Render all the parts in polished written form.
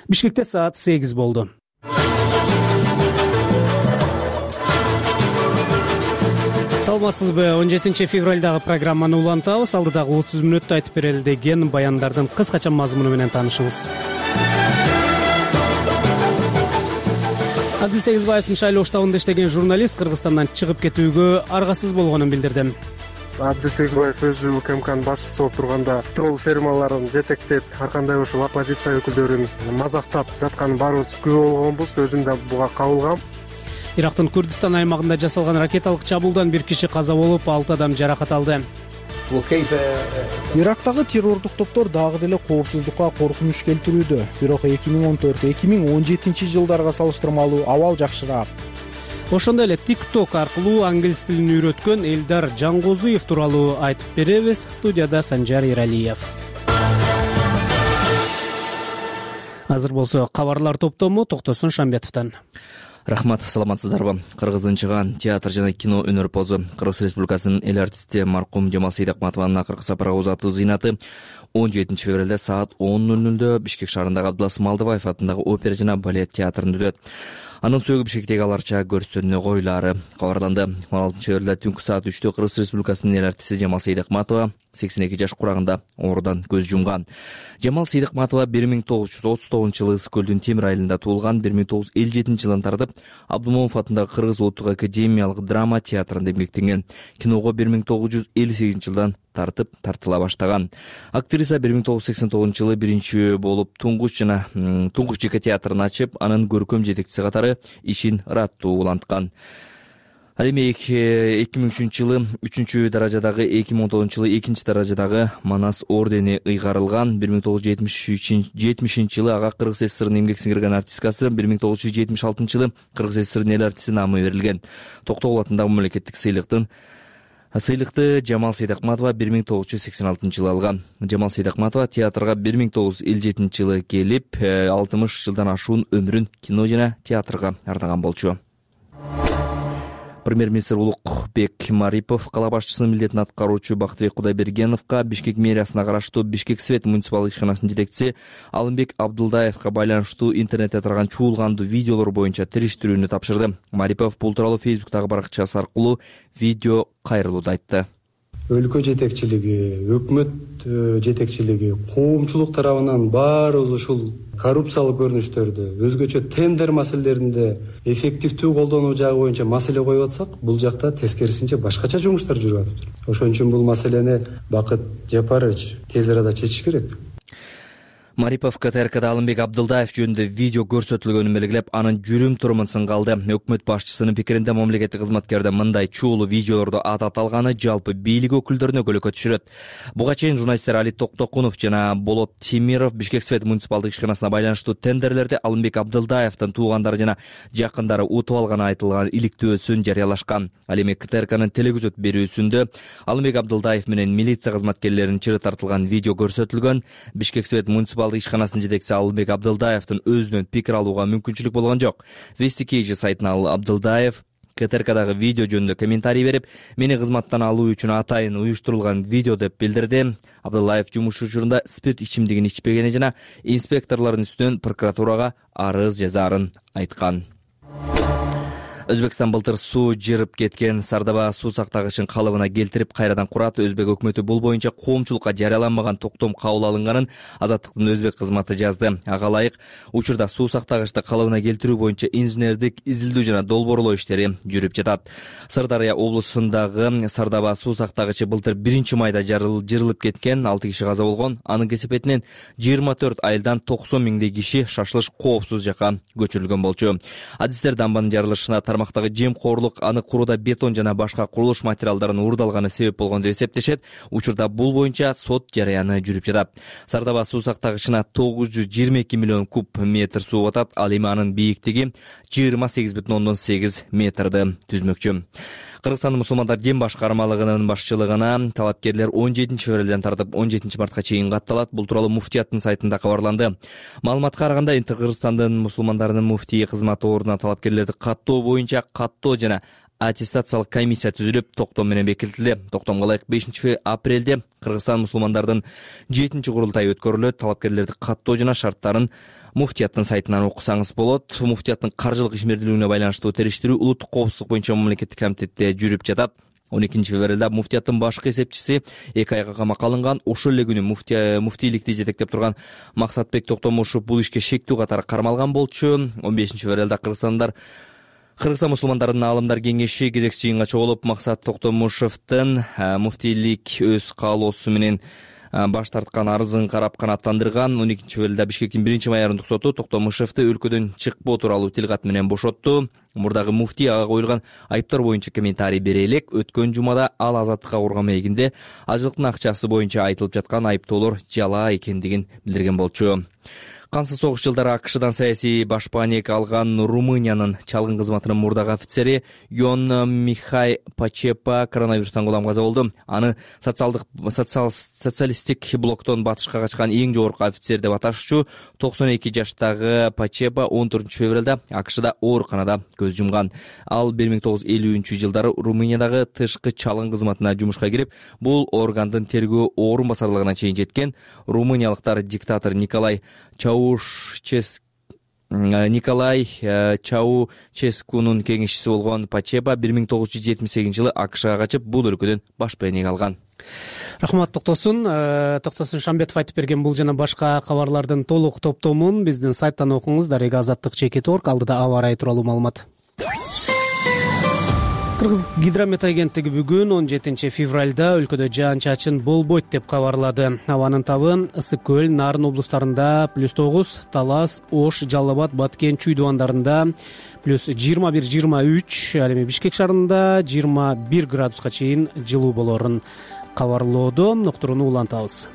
Бишкекте саат 8 болду. Саламатсызбы? 17 февралдагы программаны улантабыз. Алдыдагы 30 мүнөттө айтып берели деген баяндардын кыскача мазмуну менен таанышыңыз. Адил Сегизбаевдин шайлоо штабында иштеген журналист Кыргызстандан чыгып кетүүгө аргасыз болгонун билдирди. Адил Сегизбаев өзү УКМКнын башчысы болуп турганда тролл фермаларын жетектеп, ар кандай ушул оппозиция өкүлдөрүн мазактап жатканын баарыбыз күбө болгонбуз. Өзүм да буга кабылгам. Ирактын Курдистан аймагында жасалган ракеталык чабуулдан 1 киши каза болуп, 6 адам жаракат алды. Ирактагы террордук топтор дагы деле коопсуздукка коркунуч келтирүүдө. Бирок 2014-2017 жылдарга салыштырмалуу абал жакшыраак. Ошондой эле TikTok аркылуу англис тилин үйрөткөн Элдар Жангозуев тууралуу айтып беребиз. Студияда Санжар Эралиев. Азыр болсо кабарлар топтому Токтосун Шамбетовдон. Рахмат, саламатсыздарбы? Кыргыздын чыган театр жана кино өнөрпозу Кыргыз Республикасынын эл артисти маркум Жамал Сейдакматованын акыркы сапарга узатуу зыйнаты 17 февралда саат 10:00 Бишкек шаарындагы Абдулас Малдыбаев атындагы опера жана балет театрында өтөт. Анын сөөгү Бишкектеги аларча көрсөтүүнү коюлаары кабарланды. 16 февралда түнкү саат 3-тө Кыргыз Республикасынын эл артисти Жамал Сейдакматова 82 жаш курагында оорудан көз жумган. Жамал Сейдакматова 1939-жылы Ысык көлдүн Темир айылында туулган. 1957-жылдан тартып Абдумомов атындагы Кыргыз улуттук академиялык драма театрында эмгектенген. Киного 1958-жылдан тартыла баштаган. Актриса 1989-жылы биринчи болуп туңгуч ЖК театрын ачып, анын көркөм жетекчиси катары ишин ыраттуу уланткан. Ал эми 2003-жылы 3 даражадагы, 2019-жылы 2 даражадагы Манас ордени ыйгарылган. 1970-жылы ага Кыргыз ССРнын эмгек сиңирген артисткасы, 1976-жылы Кыргыз ССРнын эл артисти наамы берилген. Токтогул атындагы мамлекеттик сыйлыкты Жамал Сейдакматова 1986-жылы алган. Жамал Сейдакматова театрга 1957-жылы келип, 60 жылдан ашуун өмүрүн кино жана театрга ардаган болчу. Премьер-министр Улукбек Марипов кала башчысынын милдетин аткаруучу Бактыбек Кудайбергеновго Бишкек мэриясына караштуу Бишкек Свет муниципалдык ишканасынын жетекчиси Алымбек Абдылдаевга байланыштуу интернетте тараган чуулгандуу видеолор боюнча териштирүүнү тапшырды. Марипов бул тууралуу Фейсбуктагы баракчасы аркылуу видео кайрылууда айтты. Өлкө жетекчилиги, өкмөт жетекчилиги, коомчулук тарабынан баарыбыз ушул коррупциялык көрүнүштөрдү, өзгөчө тендер маселелеринде эффективдүү колдонуу жагы боюнча маселе коюп атсак, бул жакта тескерисинче башкача жумуштар жүрүп атыптыр. Ошон үчүн бул маселени Бакыт Жапарович тез арада чечиш керек. Марипов КТРКда Алымбек Абдылдаев жөнүндө видео көрсөтүлгөнүн белгилеп, анын жүрүм-турумун сынгалды. Өкмөт башчысынын пикиринде мамлекеттик кызматкердин мындай чуулуу видеолорду аталганы жалпы бийлик өкүлдөрүнө көлөкө түшүрөт. Буга чейин журналисттер Али Токтокунов жана Болот Темиров Бишкек Свет муниципалдык ишканасына байланыштуу тендерлерди Алымбек Абдылдаевдин туугандары жана жакындары утуп алганы айтылган иликтөөсүн жарыялашкан. Ал эми КТРКнын телегөзөт берүүсүндө Алымбек Абдылдаев менен милиция кызматкерлеринин чыры тартылган видео көрсөтүлгөн. Бишкек Свет муниципалдык ишканасынын жетекчиси Алымбек Абдылдаевдин өзүнөн пикир алууга мүмкүнчүлүк болгон жок. Вестикейжи сайтына Абдылдаев КТРКдагы видео жөнүндө комментарий берип, мени кызматтан алуу үчүн атайын уюштурулган видео деп билдирди. Абдылдаев жумуш учурунда спирт ичимдигин ичпегени жана инспекторлордун үстүнөн прокуратурага арыз жазаарын айткан. Өзбекстан былтыр суу жырып кеткен Сардаба суу сактагычын калыбына келтирип кайрадан курат. Өзбек өкмөтү бул боюнча коомчулукка жарыяланбаган токтом кабыл алынганын Азаттыктын өзбек кызматы жазды. Ага ылайык учурда суу сактагычты калыбына келтирүү боюнча инженердик изилдөө жана долбоорлоо иштери жүрүп жатат. Сырдария облусундагы Сардаба суу сактагычы былтыр 1-майда жырылып кеткен, 6 киши каза болгон. Анын кесепетинен 24 айылдан 90 миңдей киши шашылыш коопсуз жака көчүрүлгөн болчу. Адистер дамбанын жарылышына тармактагы жемкорлук, аны курууда бетон жана башка курулуш материалдарын уурдалганы себеп болгон деп эсептешет. Учурда бул боюнча сот жарыяны жүрүп жатат. Сардаба суу сактагычына 922 миллион куб метр суу батат. Ал эми анын бийиктиги 28,8 метрди түзмөкчү. Кыргызстандын мусулмандар дин башкармалыгынын башчылыгына талапкерлер 17 февралдан тартып 17 мартка чейин катталат. Бул тууралуу муфтияттын сайтында кабарланды. Маалыматка караганда, Кыргызстандын мусулмандарынын муфтии кызматы ордуна талапкерлерди каттоо боюнча каттоо жана аттестациялык комиссия түзүлүп, токтом менен бекитилди. Токтомго ылайык 5 апрелде Кыргызстан мусулмандардын 7-курултайы өткөрүлөт. Талапкерлерди каттоо жана шарттарын муфтияттын сайтынан окусаңыз болот. Муфтияттын каржылык ишмердүүлүгүнө байланыштуу териштирүү улуттук коопсуздук боюнча мамлекеттик комитетте жүрүп жатат. 12 февралда муфтияттын башкы эсепчиси 2 айга камакка алынган. Ошол эле күнү муфтийликти жетектеп турган Максатбек Токтомушев бул ишке шектүү катары кармалган болчу. 15 февралда Кыргызстан мусулмандарынын аалымдар кеңеши кезекчи жыйынга чогулуп, Максат Токтомушевдин муфтийлик өз каалоосу менен баш тарткан арызын карап канааттандырган. 12 февралда Бишкектин 1-майордук соту Токтомушевди өлкөдөн чыкпоо тууралуу тилкат менен бошотту. Мурдагы муфтий ага коюлган айыптар боюнча комментарий бере элек. Өткөн жумада ал азаттыкка курган маегинде ажылыктын акчасы боюнча айтылып жаткан айыптоолор жалаа экендигин билдирген болчу. Кансыз согуш жылдары АКШдан саясий башпаанек алган Румыниянын чалгын кызматынын мурдагы офицери Йон Михай Пачепа коронавирустан кулам каза болду. Аны социалисттик блоктон батышка качкан эң жогорку офицер деп аташчу 92 жаштагы Пачепа 14 февралда АКШда ооруканада көз жумган. Ал 1950-жылдары Румыниядагы тышкы чалгын кызматына жумушка кирип, бул органдын тергөө орун басарлыгына чейин жеткен. Румыниялыктар диктатор Николай Чаушескунун кеңешчиси болгон Пачепа 1978-жылы АКШга качып, бул өлкөдөн башпаанек алган. Рахмат Токтосун Шамбетов айтып берген бул жана башка кабарлардын толук топтомун биздин сайттан окуңуз. Дарега Азаттык.org. Алдыда аба ырайы тууралуу маалымат. Кыргыз гидромет агенттиги бүгүн 17 февралда өлкөдө жаан-чачын болбойт деп кабарлады. Абанын табын Ысык көл, Нарын облустарында +9, Талас, Ош, Жалал Абад, Баткен, Чүй дубандарында +21-23, ал эми Бишкек шаарында 21 градуска чейин жылуу болорун кабарлоодо. Уктурууну улантабыз.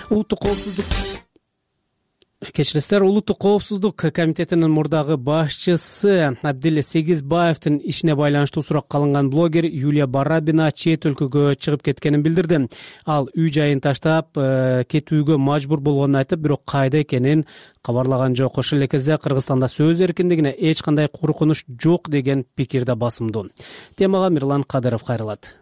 Улуттук коопсуздук комитетинин мурдагы башчысы Абдил Сегизбаевдин ишине байланыштуу суракка алынган блогер Юлия Барабина чет өлкөгө чыгып кеткенин билдирди. Ал үй жайын таштап кетүүгө мажбур болгонун айтып, бирок кайда экенин кабарлаган жок. Ошол эле кезде Кыргызстанда сөз эркиндигине эч кандай коркунуч жок деген пикирде басымдуу. Темага Мирлан Кадыров кайрылат.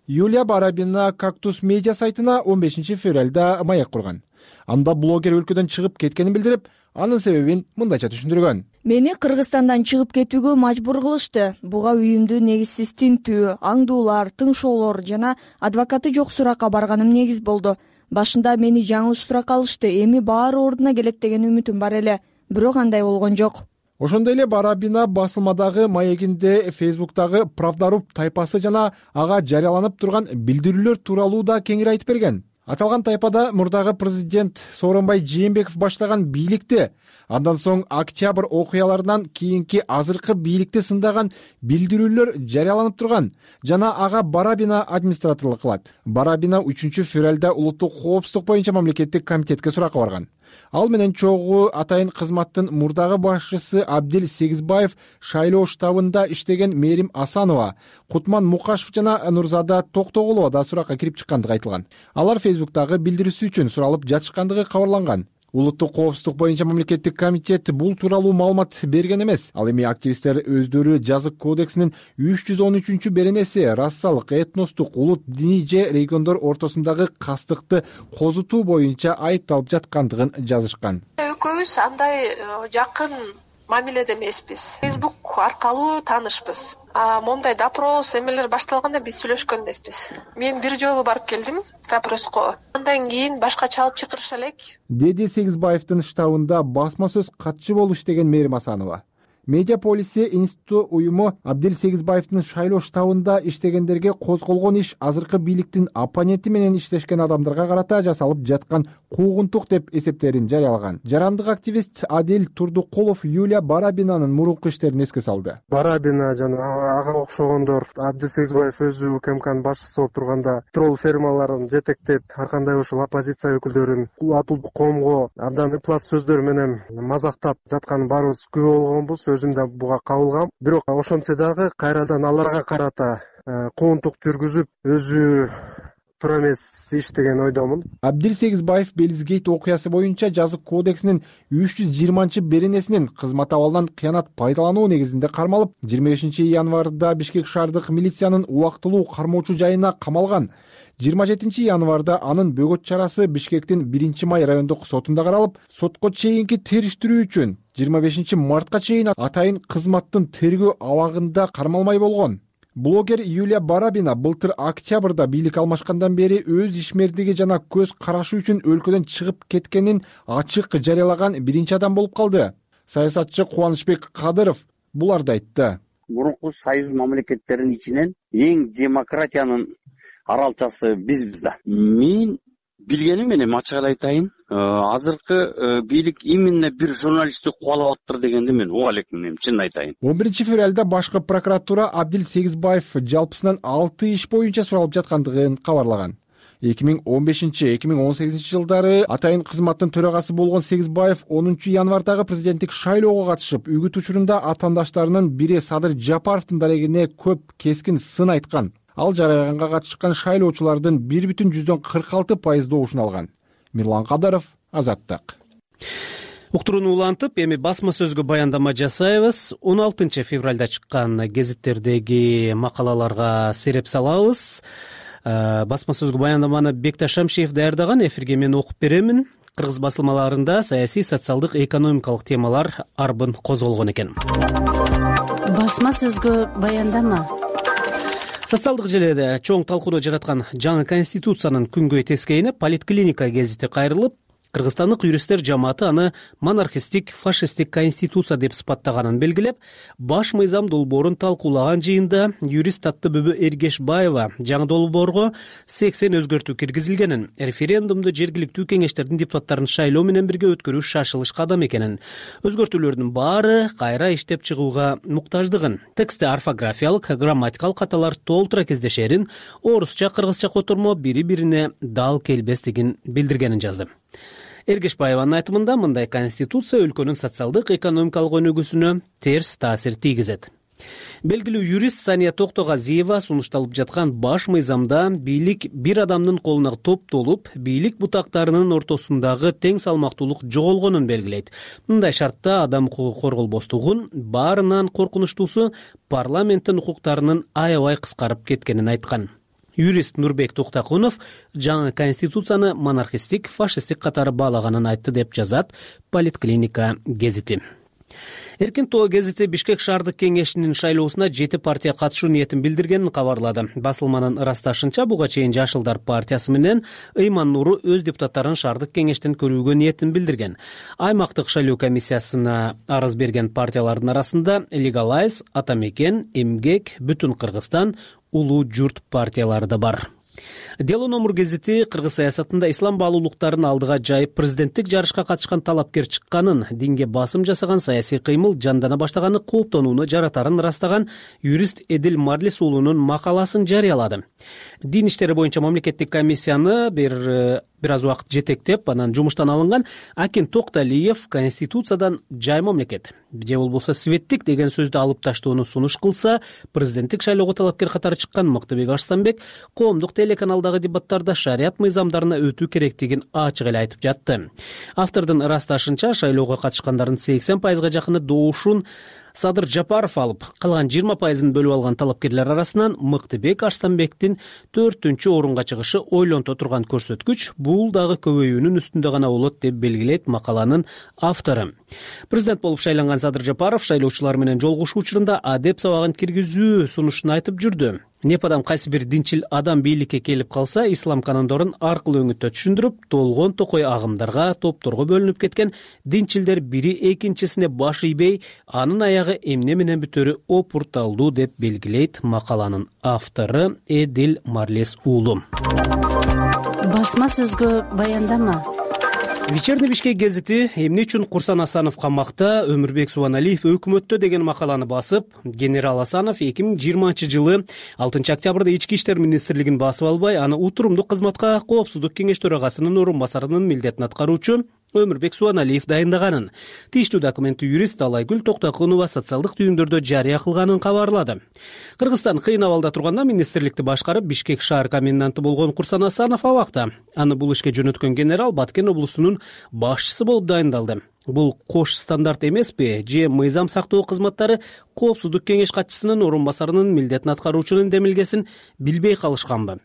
Юлия Барабина Кактус медиа сайтына 15 февралда маек курган. Анда блогер өлкөдөн чыгып кеткенин билдирип, анын себебин мындайча түшүндүргөн. Мени Кыргызстандан чыгып кетүүгө мажбур кылышты. Буга үйүмдү негизсиз тинтүү, аңдуулар, тыңшоолор жана адвокаты жок суракка барганым негиз болду. Башында мени жаңылыш суракка алышты. Эми баары ордуна келет деген үмүтүм бар эле. Бирок андай болгон жок. Ошондой эле Барабина басылмадагы маегинде Фейсбуктагы Правдаруб тайпасы жана ага жарыяланып турган билдирүүлөр тууралуу да кеңири айтып берген. Аталган тайпада мурдагы президент Сооронбай Жээнбеков баштаган бийликти, андан соң октябрь окуяларынан кийинки азыркы бийликти сындаган билдирүүлөр жарыяланып турган жана ага Барабина администраторлук кылат. Барабина 3 февралда улуттук коопсуздук боюнча мамлекеттик комитетке суракка барган. Ал менен чогуу атайын кызматтын мурдагы башчысы Абдил Сегизбаев, шайлоо штабында иштеген Мерим Асанова, Кутман Мукашев жана Нурзада Токтогулова да суракка кирип чыккандыгы айтылган. Алар Фейсбуктагы билдирүүсү үчүн суралып жатышкандыгы кабарланган. Улуттук коопсуздук боюнча мамлекеттик комитет бул тууралуу маалымат берген эмес. Ал эми активисттер өздөрү жазык кодексинин 313 беренеси рассалык, этностук, улут, диний же региондор ортосундагы кастыкты козутуу боюнча айыпталып жаткандыгын жазышкан. Экөөбүз андай жакын мамиледе эмеспиз. Фейсбук аркылуу таанышпыз. Мондай допрос эмелер башталганда биз сүйлөшкөн эмеспиз. Мен бир жолу барып келдим допроско. Андан кийин башкача алып чакырыша элек, деди Сегизбаевдин штабында басма сөз катчы болуп иштеген Мерим Асанова. Медиаполиси институту уюму Абдил Сегизбаевдин шайлоо штабында иштегендерге козголгон иш азыркы бийликтин оппоненти менен иштешкен адамдарга карата жасалып жаткан куугунтук деп эсептерин жарыялаган. Жарандык активист Адил Турдукулов Юлия Барабинанын мурунку иштерин эске салды. Барабина жана ага окшогондор Абдил Сегизбаев өзү УКМКнын башчысы болуп турганда тролл фермаларын жетектеп, ар кандай ушул оппозиция өкүлдөрүн атылып коомго абдан ыплас сөздөр менен мазактап жатканын баарыбыз күбө болгонбуз. Өзүм да буга кабылгам. Бирок ошентсе дагы кайрадан аларга карата куугунтук жүргүзүп, өзү туура эмес иш деген ойдомун. Абдил Сегизбаев Белизгейт окуясы боюнча жаза кодексинин 320-беренесинин кызмат абалынан кыянат пайдалануу негизинде кармалып, 25 январда Бишкек шаардык милициянын убактылуу кармоочу жайына камалган. 27 январда анын бөгөт чарасы Бишкектин 1-Май райондук сотунда каралып, сотко чейинки териштирүү үчүн 25 мартка чейин атайын кызматтын тергөө абагында кармалмай болгон. Блогер Юлия Барабина былтыр октябрда бийлик алмашкандан бери өз ишмердиги жана көз карашы үчүн өлкөдөн чыгып кеткенин ачык жарыялаган биринчи адам болуп калды. Саясатчы Кубанычбек Кадыров буларды айтты. Мурунку союз мамлекеттеринин ичинен эң демократиянын аралчасы бизбиз да. Мен билгеним менен ачык эле айтайын, азыркы бийлик именно бир журналистти кубалап атыптыр дегенди мен уга элекмин, чын айтайын. 11 февралда башкы прокуратура Абдил Сегизбаев жалпысынан 6 иш боюнча суралып жаткандыгын кабарлаган. 2015-2018 жылдары атайын кызматтын төрагасы болгон Сегизбаев 10 январдагы президенттик шайлоого катышып, үгүт учурунда атаандаштарынын бири Садыр Жапаровдун дарегине көп кескин сын айткан. Ал жарыяганга катышкан шайлоочулардын 1,46% добушун алган. Мирлан Кадаров, Азаттык. Уктурууну улантып, эми басма сөзгө баяндама жасайбыз. 16 февралда чыккан гезиттердеги макалаларга сереп салабыз. Басма сөзгө баяндаманы Бекташ Шамшиев даярдаган. Эфирге мен окуп беремин. Кыргыз басылмаларында саясий, социалдык, экономикалык темалар арбын козголгон экен. Басма сөзгө баяндама. Социалдык желеде чоң талкууну жараткан жаңы конституциянын күнгөй тескейине Политклиника гезити кайрылып, кыргызстандык юристтер жамааты аны монархистик, фашисттик конституция деп сыпаттаганын белгилеп, баш мыйзам долбоорун талкуулаган жыйында юрист Таттыбүбү Эргешбаева жаңы долбоорго 80 өзгөртүү киргизилгенин, референдумду жергиликтүү кеңештердин депутаттарын шайлоо менен бирге өткөрүү шашылыш кадам экенин, өзгөртүүлөрдүн баары кайра иштеп чыгууга муктаждыгын, текстте орфографиялык, грамматикалык каталар толтура кездешерин, орусча, кыргызча котормо бири-бирине дал келбестигин билдиргенин жазды. Эргешбаеванын айтымында мындай конституция өлкөнүн социалдык, экономикалык өнүгүүсүнө терс таасир тийгизет. Белгилүү юрист Сания Токтогазиева сунушталып жаткан баш мыйзамда бийлик бир адамдын колуна топтолуп, бийлик бутактарынын ортосундагы тең салмактуулук жоголгонун белгилейт. Мындай шартта адам укугу корголбостугун, баарынан коркунучтуусу парламенттин укуктарынын аябай кыскарып кеткенин айткан. Юрист Нурбек Токтакунов жаңы конституцияны монархистик, фашисттик катары баалаганын айтты деп жазат Политклиника гезити. Эркин тоо гезити Бишкек шаардык кеңешинин шайлоосуна 7 партия катышуу ниетин билдиргенин кабарлады. Басылманын ырасташынча, буга чейин Жашылдар партиясы менен Ыйман Нуру өз депутаттарын шаардык кеңештен көрүүгө ниетин билдирген. Аймактык шайлоо комиссиясына арыз берген партиялардын арасында Легалайз, Атамекен, Эмгек, Бүтүн Кыргызстан, Улуу журт партиялары да бар. Дело номер гезити кыргыз саясатында ислам баалуулуктарын алдыга жайып президенттик жарышка катышкан талапкер чыкканын, динге басым жасаган саясий кыймыл жандана баштаганы кооптонууну жаратарын ырастаган юрист Эдил Марлис уулунун макаласын жарыялады. Дин иштери боюнча мамлекеттик комиссияны бир аз убакыт жетектеп, анан жумуштан алынган Акин Токталиев конституциядан жай мамлекет, же болбосо светтик деген сөздү алып таштоону сунуш кылса, президенттик шайлоого талапкер катары чыккан Мыктыбек Арстанбек коомдук телеканалдагы дебаттарда шарият мыйзамдарына өтүү керектигин ачык эле айтып жатты. Автордун ырасташынча, шайлоого катышкандардын 80%га жакыны добушун Садыр Жапаров алып, калган 20%ын бөлүп алган талапкерлер арасынан Мыктыбек Арстанбектин 4-орунга чыгышы ойлонто турган көрсөткүч, бул дагы көбөйүүнүн үстүндө гана болот деп белгилейт макаланын автору. Президент болуп шайланган Садыр Жапаров шайлоочулар менен жолугушуу учурунда адеп сабагын киргизүү сунушун айтып жүрдү. Непадам кайсы бир динчил адам бийликке келип калса, ислам канондорун аркылуу өңүттө түшүндүрүп, толгон токой агымдарга, топторго бөлүнүп кеткен динчилдер бири экинчисине баш ийбей, анын аягы эмне менен бүтөрү опурталдуу деп белгилейт макаланын автору Эдил Марлис уулу. Басма сөзгө баяндама. Вечерний Бишкек гезити эмне үчүн Курсан Асанов камакта, Өмүрбек Субаналиев өкмөттө деген макаланы басып, генерал Асанов 2020 6 октябрда Ички иштер министрлигин басып албай, аны утурумдуу кызматка Коопсуздук кеңеш төрагасынын орун басарынын милдетин аткаруучу Өмүрбек Суаналиев дайындаганын. Тийиштүү документти юрист Алайгүл Токтокунова социалдык түйүндөрдө жарыя кылганын кабарлады. Кыргызстан кыйын абалда турганда министрликти башкарып Бишкек шаар коменданты болгон Курсан Асанов абакта. Аны бул ишке жөнөткөн генерал Баткен облусунун башчысы болуп дайындалды. Бул кош стандарт эмеспи? Же мыйзам сактоо кызматтары коопсуздук кеңеш катчысынын орун басарынын милдетин аткаруучунун демилгесин билбей калышканбы?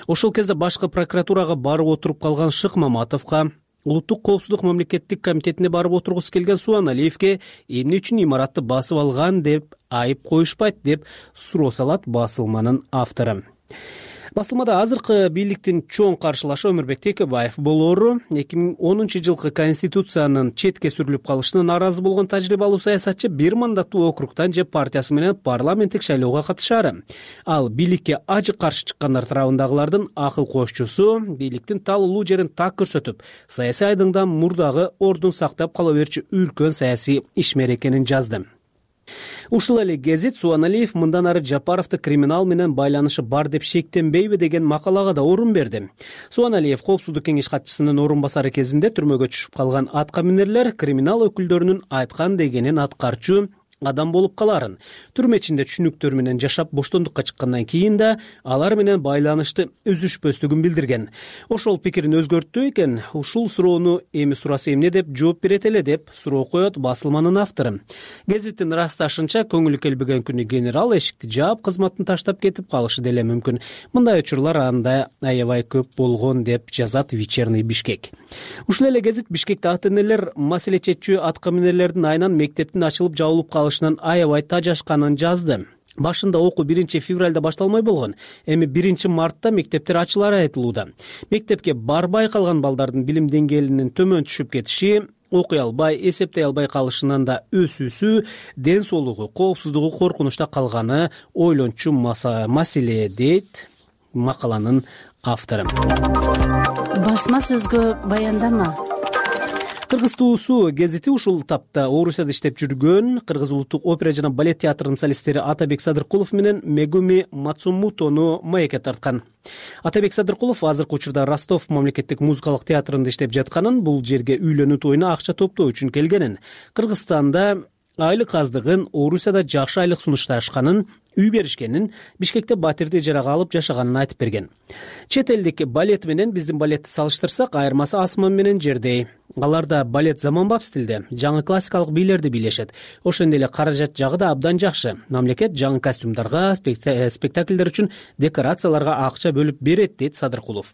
Ошол кезде башкы прокуратурага барып отуруп калган Шык Маматовго, Улуттук коопсуздук мамлекеттик комитетине барып отургусу келген Суаналиевге эмне үчүн имаратты басып алган деп айып коюшпайт деп суроо салат басылманын автору. Басылмада азыркы бийликтин чоң каршылашы Өмүрбек Текебаев болоору 2010 жылкы конституциянын четке сүрүлүп калышына нааразы болгон тажрыйбалуу саясатчы бир мандаттуу округтан же партиясы менен парламенттик шайлоого катышаары. Ал бийликке ажык каршы чыккандар тарабындагылардын акыл кошчусу, бийликтин талуулуу жерин так көрсөтүп, саясий айдыңда мурдагы ордун сактап кала берчү үлкөн саясий ишмер экенин жазды. Ушул эле гезит Суаналиев мындан ары Жапаровду криминал менен байланышы бар деп шектенбейби деген макалага да орун берди. Суаналиев коопсуздук кеңеш катчысынын орун басары кезинде түрмөгө түшүп калган аткаминерлер криминал өкүлдөрүнүн айткан дегенин аткарчу адам болуп каларын, түрмө ичинде түшүнүктөр менен жашап боштондукка чыккандан кийин да алар менен байланышты үзүшпөстүгүн билдирген. Ошол пикирин өзгөрттү экен. Ушул суроону эми сураса эмне деп жооп берет эле деп суроо коет басылманын автору. Гезиттин ырасташынча, көңүлү келбеген күнү генерал эшикти жаап, кызматын таштап кетип калышы деле мүмкүн. Мындай учурлар анда аябай көп болгон деп жазат Вечерний Бишкек. Ушул эле гезит Бишкекте ата-энелер маселе чечүү аткаминерлердин айынан мектептин ачылып жабылып калышынан аябай тажашканын жазды. Башында окуу 1 февралда башталмай болгон. Эми 1 мартта мектептер ачылары айтылууда. Мектепке барбай калган балдардын билим деңгээлинин төмөн түшүп кетиши, окуй албай, эсептей албай калышынан да өсүүсү, ден соолугу, коопсуздугу коркунучта калганы ойлончу маселе дейт макаланын автору. Басма сөзгө баяндама. Кыргыз туусу гезити ушул тапта Орусияда иштеп жүргөн Кыргыз улуттук опера жана балет театрынын солисттери Атабек Садыркулов менен Мегуми Мацумутону маекке тарткан. Атабек Садыркулов азыркы учурда Ростов мамлекеттик музыкалык театрында иштеп жатканын, бул жерге үйлөнүү тоюна акча топтоо үчүн келгенин, Кыргызстанда айлык аздыгын, Орусияда жакшы айлык сунушташканын, үй беришкенин, Бишкекте батирди ижарага алып жашаганын айтып берген. Чет элдик балет менен биздин балетти салыштырсак, айырмасы асман менен жердей. Аларда балет заманбап стилде, жаңы классикалык бийлерди бийлешет. Ошондой эле каражат жагы да абдан жакшы. Мамлекет жаңы костюмдарга, спектакльдер үчүн декорацияларга акча бөлүп берет, дейт Садыркулов.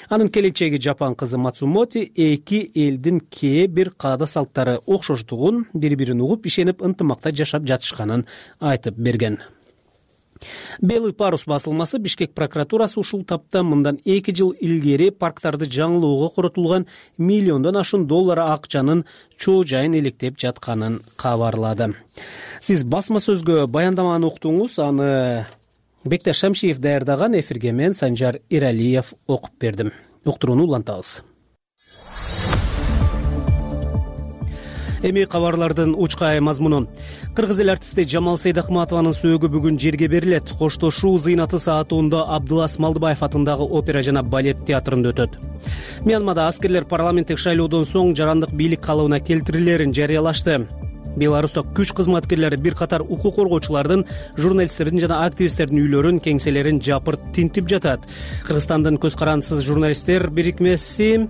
Анын келинчеги жапан кызы Мацумоти эки элдин кээ бир каада салттары окшоштугун, бири-бирин угуп, ишенип, ынтымакта жашап жатышканын айтып берген. Белый парус басылмасы Бишкек прокуратурасы ушул тапта мындан 2 жыл илгери парктарды жаңылоого коротулган $1 миллион акчанын чоо жайын иликтеп жатканын кабарлады. Сиз басма сөзгө баяндаманы уктуңуз, аны Бекташ Шамшиев даярдаган, эфирге мен Санжар Иралиев окуп бердим. Уктурууну улантабыз. Эми кабарлардын учкай мазмуну. Кыргыз эл артисти Жамал Сейдахматованын сөөгү бүгүн жерге берилет. Коштошуу зыйнаты саат 10:00 Абдылас Малдыбаев атындагы опера жана балет театрында өтөт. Мьянмада аскерлер парламенттик шайлоодон соң жарандык бийлик калыбына келтирилерин жарыялашты. Беларуста күч кызматкерлери бир катар укук коргоочулардын, журналисттердин жана активисттердин үйлөрүн, кеңселерин жапырт тинтип жатат. Кыргызстандын көз карандысыз журналисттер бирикмеси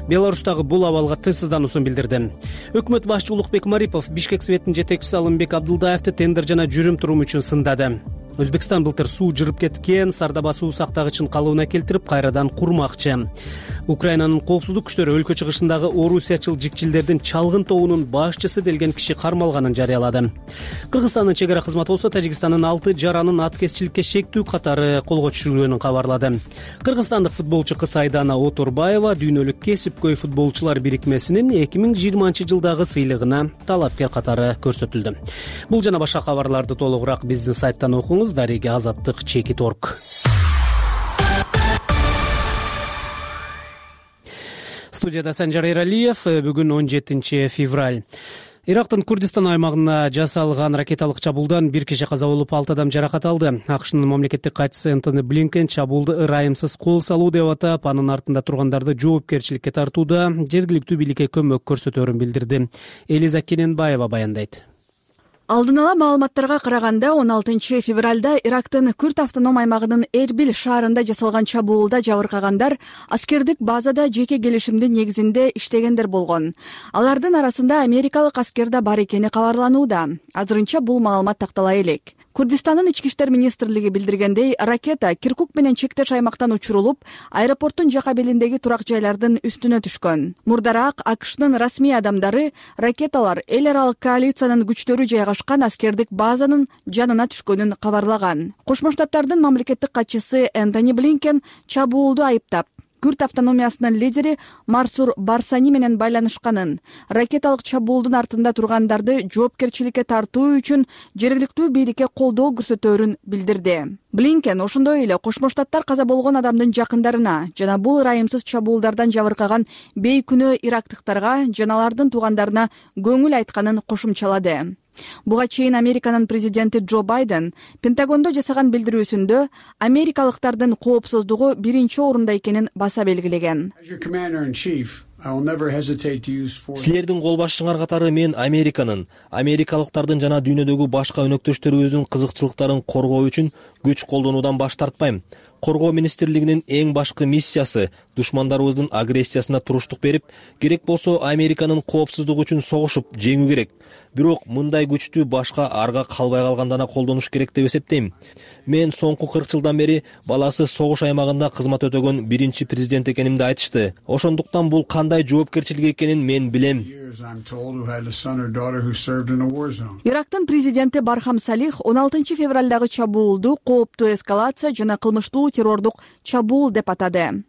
Беларустагы бул абалга тынчсыздануусун билдирди. Өкмөт башчы Улукбек Марипов Бишкек Светинин жетекчиси Алымбек Абдылдаевди тендер жана жүрүм-турум үчүн сындады. Өзбекстан былтыр суу жырып кеткен Сардаба суу сактагычын калыбына келтирип кайрадан курмакчы. Украинанын коопсуздук күчтөрү өлкө чыгышындагы орусиячыл жикчилдердин чалгын тобунун башчысы делген киши кармалганын жарыялады. Кыргызстандын чек ара кызматы болсо Тажикстандын 6 жаранын аткезчиликке шектүү катары колго түшүрүлгөнүн кабарлады. Кыргызстандык футболчу кыз Айдана Оторбаева дүйнөлүк кесипкөй футболчулар бирикмесинин 2020 жылдагы сыйлыгына талапкер катары көрсөтүлдү. Бул жана башка кабарларды толугураак биздин сайттан окуңуз. Дареги Азаттык Чекит.орг. Студияда Санжар Иралиев. Бүгүн 17 февраль. Ирактын Курдистан аймагына жасалган ракеталык чабуулдан бир киши каза болуп, 6 адам жаракат алды. АКШнын мамлекеттик катчысы Энтони Блинкен чабуулду ырайымсыз кол салуу деп атап, анын артында тургандарды жоопкерчиликке тартууда жергиликтүү бийликке көмөк көрсөтөөрүн билдирди. Элиза Кененбаева баяндайт. Алдын ала маалыматтарга караганда 16 февралда Ирактын Күрд автоном аймагынын Эрбил шаарында жасалган чабуулда жабыркагандар аскердик базада жеке келишимдин негизинде иштегендер болгон. Алардын арасында америкалык аскер да бар экени кабарланууда. Азырынча бул маалымат тактала элек. Курдистанын ички иштер министрлиги билдиргендей, ракета Киркук менен чектеш аймактан учурулуп, аэропорттун жак абелиндеги турак жайлардын үстүнө түшкөн. Мурдараак АКШнын расмий адамдары ракеталар эл аралык коалициянын күчтөрү жайгашкан аскердик базанын жанына түшкөнүн кабарлаган. Кошмо Штаттардын мамлекеттик катчысы Энтони Блинкен чабуулду айыптап, Күрд автономиясынын лидери Марсур Барсани менен байланышканын, ракеталык чабуулдун артында тургандарды жоопкерчиликке тартуу үчүн жергиликтүү бийликке колдоо көрсөтөөрүн билдирди. Блинкен ошондой эле Кошмо Штаттар каза болгон адамдын жакындарына жана бул ырайымсыз чабуулдардан жабыркаган бейкүнөө ирактыктарга жана алардын туугандарына көңүл айтканын кошумчалады. Буга чейин Американын президенти Джо Байден Пентагондо жасаган билдирүүсүндө америкалыктардын коопсуздугу биринчи орунда экенин баса белгилеген. Силердин кол башчыңар катары мен америкалыктардын жана дүйнөдөгү башка өнөктөштөрүбүздүн кызыкчылыктарын коргоо үчүн күч колдонуудан баш тартпайм. Коргоо министрлигинин эң башкы миссиясы душмандарыбыздын агрессиясына туруштук берип, керек болсо Американын коопсуздугу үчүн согушуп жеңүү керек. Бирок мындай күчтү башка арга калбай калгандана колдонуш керек деп эсептейм. Мен соңку 40 жылдан бери баласы согуш аймагында кызмат өтөгөн биринчи президент экенимди айтышты. Ошондуктан бул кандай жоопкерчилик экенин мен билем. Ирактын президенти Бархам Салих 16 февралдагы чабуулду кооптуу эскалация жана кылмыштуу террордук чабуул деп атады.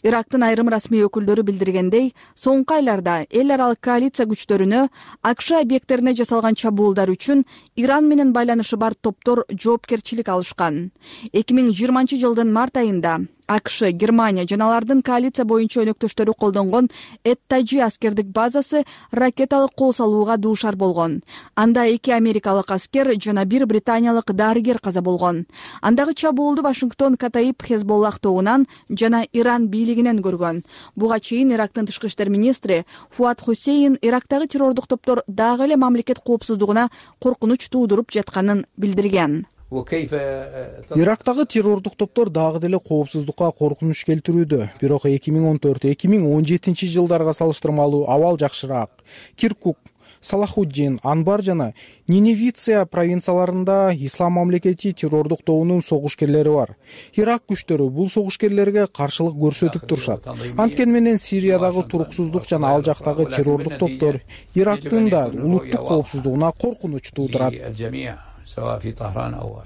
Ирактын айрым расмий өкүлдөрү билдиргендей, соңку айларда эл аралык коалиция күчтөрүнө АКШ объекттерине жасалган чабуулдар үчүн Иран менен байланышы бар топтор жоопкерчилик алышкан. 2020 жылдын март айында АКШ, Германия жана алардын коалиция боюнча өнөктөштөрү колдонгон Эт-Таджи аскердик базасы ракеталык кол салууга дуушар болгон. Анда 2 америкалык аскер жана 1 британиялык дарыгер каза болгон. Андагы чабуулду Вашингтон Катаиб Хезболлах тобунан жана Иран бийлигинен көргөн. Буга чейин Ирактын тышкы иштер министри Фуат Хусейн Ирактагы террордук топтор дагы эле мамлекет коопсуздугуна коркунуч туудуруп жатканын билдирген. Ирактагы террордук топтор дагы деле коопсуздукка коркунуч келтирүүдө. Бирок 2014-2017 жылдарга салыштырмалуу абал жакшыраак. Киркук, Салахуддин, Анбар жана Ниневиция провинцияларында Ислам мамлекети террордук тобунун согушкерлери бар. Ирак күчтөрү бул согушкерлерге каршылык көрсөтүп турушат. Анткени менен Сириядагы туруксуздук жана ал жактагы террордук топтор Ирактын да улуттук коопсуздугуна коркунуч туудурат.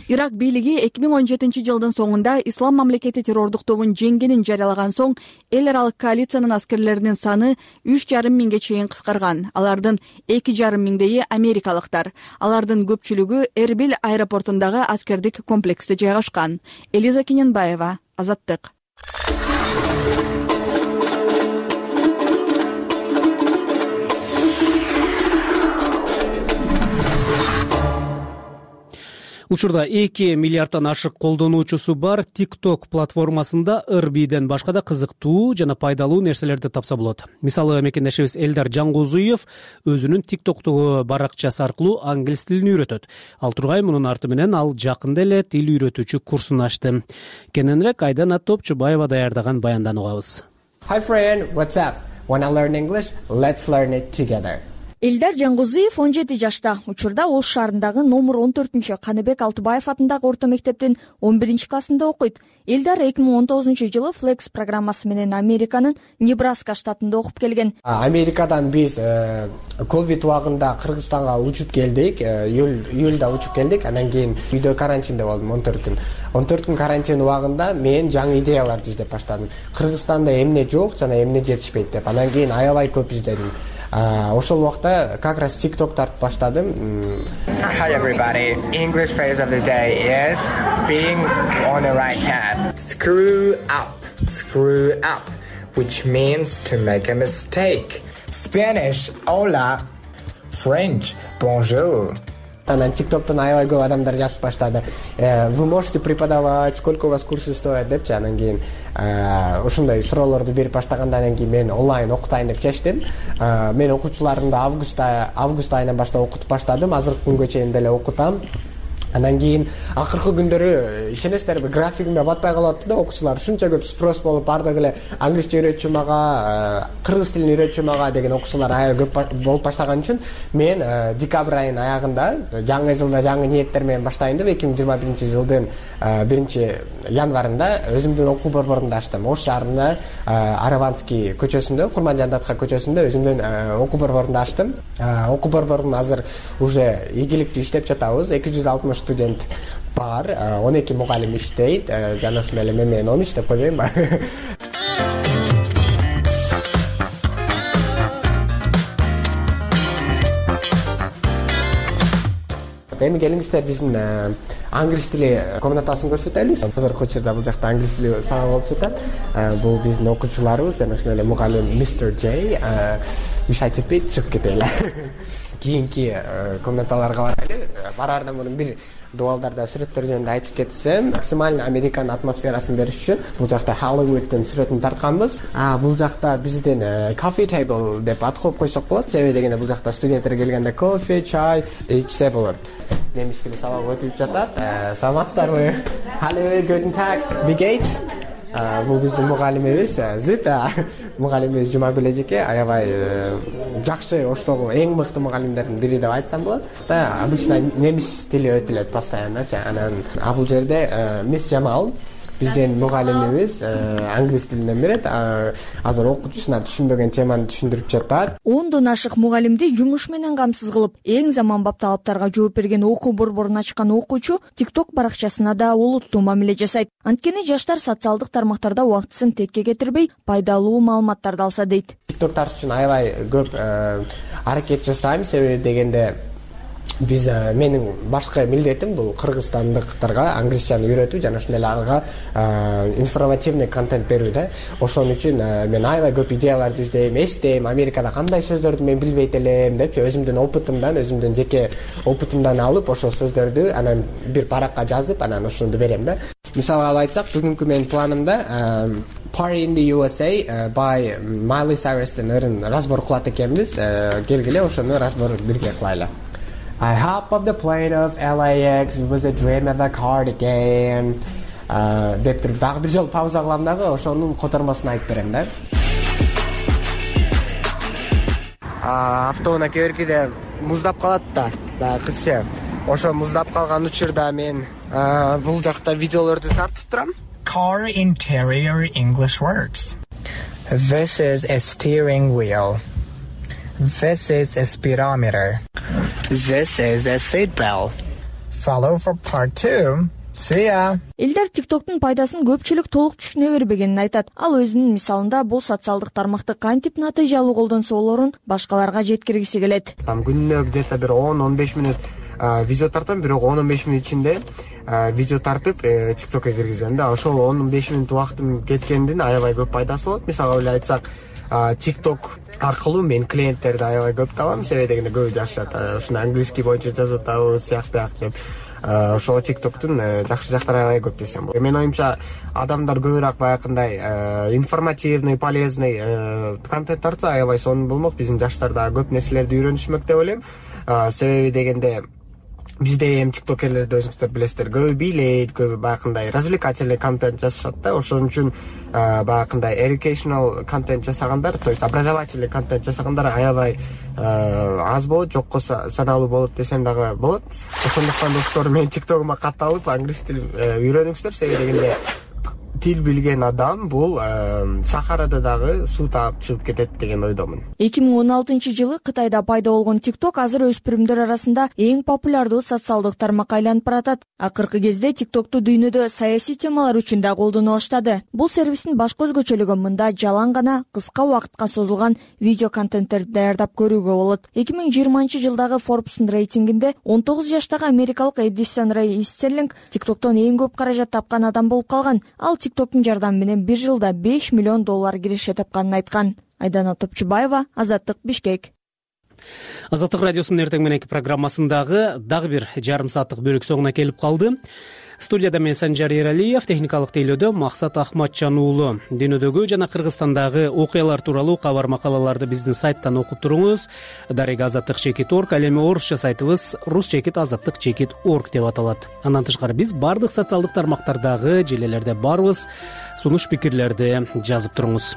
Ирак бийлиги 2017 жылдын соңунда Ислам мамлекети террордук тобун жеңгенин жарыялаган соң эл аралык коалициянын аскерлеринин саны 3,5 миңге чейин кыскарган. Алардын 2,5 миңдейи америкалыктар. Алардын көпчүлүгү Эрбил аэропортундагы аскердик комплексте жайгашкан. Элиза Кененбаева, Азаттык. Учурда 2 миллиардтан ашык колдонуучусу бар TikTok платформасында ырбийден башка да кызыктуу жана пайдалуу нерселерди тапса болот. Мисалы, мекендешибиз Элдар Жангозуев өзүнүн TikTok'тогу баракчасы аркылуу англис тилин үйрөтөт. Ал тургай мунун арты менен ал жакында эле тил үйрөтүүчү курсун ачты. Кененирээк Айдана Топчубаева даярдаган баяндан угабыз. Hi friend, what's up? Wanna learn English? Let's learn it together. Элдар Жангозуев 17 жашта. Учурда Ош шаарындагы номер 14 Каныбек Алтыбаев атындагы орто мектептин 11 классында окуйт. Элдар 2019 жылы Flex программасы менен Американын Небраска штатында окуп келген. Америкадан биз ковид убагында Кыргызстанга учуп келдик. Июлда учуп келдик. Андан кийин үйдө карантинде болдум 14 күн. 14 күн карантин убагында мен жаңы идеяларды издеп баштадым. Кыргызстанда эмне жок жана эмне жетишпейт деп. Андан кийин аябай көп издедим. Ошол убакта как раз TikTok тартып баштадым. Hi everybody. English phrase of the day is being on the right path. Screw up, which means to make a mistake. Spanish, hola. French, bonjour. Анан тиктоктон аябай көп адамдар жазып баштады. Вы можете преподавать, сколько у вас курсы стоят депчи. Анан кийин ушундай суроолорду берип баштагандан кийин мен онлайн окутайын деп чечтим. Мен окуучуларымды август айынан баштап окутуп баштадым. Азыркы күнгө чейин деле окутам. Анан кийин акыркы күндөрү ишенесиздерби, графигиме батпай калып атты да, окуучулар ушунча көп спрос болуп, бардыгы эле англисче үйрөтчү мага, кыргыз тилин үйрөтчү мага деген окуучулар аябай көп болуп баштаган үчүн мен декабрь айынын аягында жаңы жылда жаңы ниеттер менен баштайын деп 2021-жылдын 1-январында өзүмдүн окуу борборумду ачтым. Ош шаарында Араванский көчөсүндө, Курманжандатка көчөсүндө өзүмдүн окуу борборумду ачтым. Окуу борборум азыр уже ийгиликтүү иштеп жатабыз. 260 студент бар, 12 мугалим иштейт. Жана ушундай эле мен 13 деп койбоймунбу? Эми келиңиздер биздин англис тили комнатасын көрсөтөлү. Азыркы учурда бул жакта англис тили сабак болуп жатат. Бул биздин окуучуларыбыз жана ошондой эле мугалим мистер Джей. Мешать этпейт, чыгып кетели. Кийинки комнаталарга бараардан мурун бир дуалдарда сүрөттөр жөнүндө айтып кетсем, максимально Американын атмосферасын бериш үчүн бул жакта Hollywood'дун сүрөтүн тартканбыз. Бул жакта биздин coffee table деп ат коюп койсок болот. Себеби дегенде бул жакта студенттер келгенде кофе, чай ичсе болот. Немис тили сабагы өтүп жатат. Саламатсыздарбы? Hallo, guten Tag. Wie geht's? Бул биздин мугалимибиз Зип. Мугалимибиз Жумагүл эжеке аябай жакшы, Оштогу эң мыкты мугалимдердин бири деп айтсам болот. Обычно немис тили өтүлөт постоянночу. Анан бул жерде мисс Жамал биздин мугалимибиз англис тилинен берет. Азыр окуучусуна түшүнбөгөн теманы түшүндүрүп жатат. 10дон ашык мугалимди жумуш менен камсыз кылып, эң заманбап талаптарга жооп берген окуу борборун ачкан окуучу TikTok баракчасына да олуттуу мамиле жасайт. Анткени жаштар социалдык тармактарда убактысын текке кетирбей, пайдалуу маалыматтарды алса дейт. TikTok үчүн аябай көп аракет жасайм, себеби дегенде биз менин башкы милдетим бул кыргызстандыктарга англисчаны үйрөтүү жана ошондой эле ага информативный контент берүү да. Ошон үчүн мен аябай көп идеяларды издейм, эстейм, Америкада кандай сөздөрдү мен билбейт элем депчи, өзүмдүн опытымдан, өзүмдүн жеке опытымдан алып, ошол сөздөрдү анан бир паракка жазып, анан ошону берем да. Мисалга алып айтсак, бүгүнкү менин планымда Party in the USA by Miley Cyrus'тын өрүн разбор кылат экенбиз. Келгиле ошону разбор бирге кылайлы. I hop off the plane of LAX, it was a dream of a cardigan. Деп туруп дагы бир жолу пауза кылам дагы, ошонун котормосун айтып берем да. Автоунаа кээ-биркиде муздап калат да, баягы кызча. Ошо муздап калган учурда мен бул жакта видеолорду тартып турам. Car interior English words. This is a steering wheel. This is a speedometer. This is a seat belt. Follow for part 2. See ya. Элдер TikToktун пайдасын көпчүлүк толук түшүнө бербегенин айтат. Ал өзүнүн мисалында бул социалдык тармакты кантип натыйжалуу колдонсо болорун башкаларга жеткиргиси келет. Там күнүнө где-то бир 10-15 мүнөт видео тартам, бирок 10-15 мүнөт ичинде видео тартып TikTokко киргизем да. Ошол 10-15 мүнөт убактым кеткендин аябай көп пайдасы болот. Мисалга эле айтсак, TikTok аркылуу мен клиенттерди аябай көп табам, себеби дегенде көбү жашашат. Ушуну английский боюнча жазып атабыз, сыяктуу деп. Ошол TikToктун жакшы жактары аябай көп десем болот. Менин оюмча адамдар көбүрөөк баягындай информативный, полезный контент тартса аябай сонун болмок. Биздин жаштар дагы көп нерселерди үйрөнүшмөк деп ойлойм. Себеби дегенде бизде эми тиктокерлерди өзүңүздөр билесиздер, көбү бийлейт, көбү баягындай развлекательный контент жасашат да. Ошон үчүн баягындай educational контент жасагандар, то есть образовательный контент жасагандар аябай аз болот, жокко саналуу болот десем дагы болот. Ошондуктан достор, мен тиктогума катталып англис тилин үйрөнүңүздөр, себеби дегенде тил билген адам бул Сахарада дагы суу таап чыгып кетет деген ойдомун. 2016-жылы Кытайда пайда болгон TikTok азыр өспүрүмдөр арасында эң популярдуу социалдык тармак айланып баратат. Акыркы кезде TikToкту дүйнөдө саясий темалар үчүн да колдоно баштады. Бул сервистин башкы өзгөчөлүгү мында жалаң гана кыска убакытка созулган видео контенттерди даярдап көрүүгө болот. 2020-жылдагы Forbes'ун рейтингинде 19 жаштагы америкалык Эдисон Рэй Истерлинг TikToктон эң көп каражат тапкан адам болуп калган. Ал TikToктун жардамы менен бир жылда $5 миллион киреше тапканын айткан. Айдана Топчубаева, Азаттык, Бишкек. Азаттык радиосунун эртең мененки программасындагы дагы бир жарым сааттык бөлүк соңуна келип калды. Студияда мен Санжар Эралиев, техникалык тейлөөдө Максат Ахматжан уулу. Дүйнөдөгү жана Кыргызстандагы окуялар тууралуу кабар макалаларды биздин сайттан окуп туруңуз. Darega@azattik.org, ал эми орусча сайтыбыз rus.azattik.org деп аталат. Андан тышкары биз бардык социалдык тармактардагы желелерде барбыз. Сунуш пикирлерди жазып туруңуз.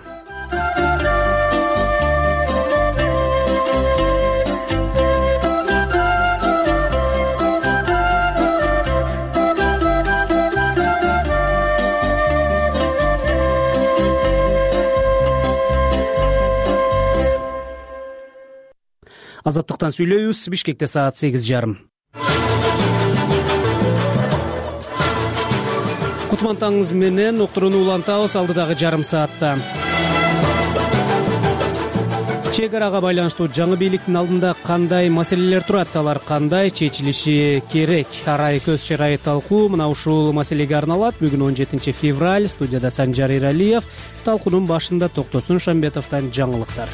Азаттыктан сүйлөйбүз. Бишкекте саат 8:30. Кутман таңыңыз менен уктурууну улантабыз алдыдагы жарым саатта. Чегарага байланыштуу жаңы бийликтин алдында кандай маселелер турат, алар кандай чечилиши керек? Арай көз чырайы талкуу мына ушул маселеге арналат. Бүгүн 17 февраль. Студияда Санжар Эралиев. Талкуунун башында Токтосун Шамбетовдон жаңылыктар.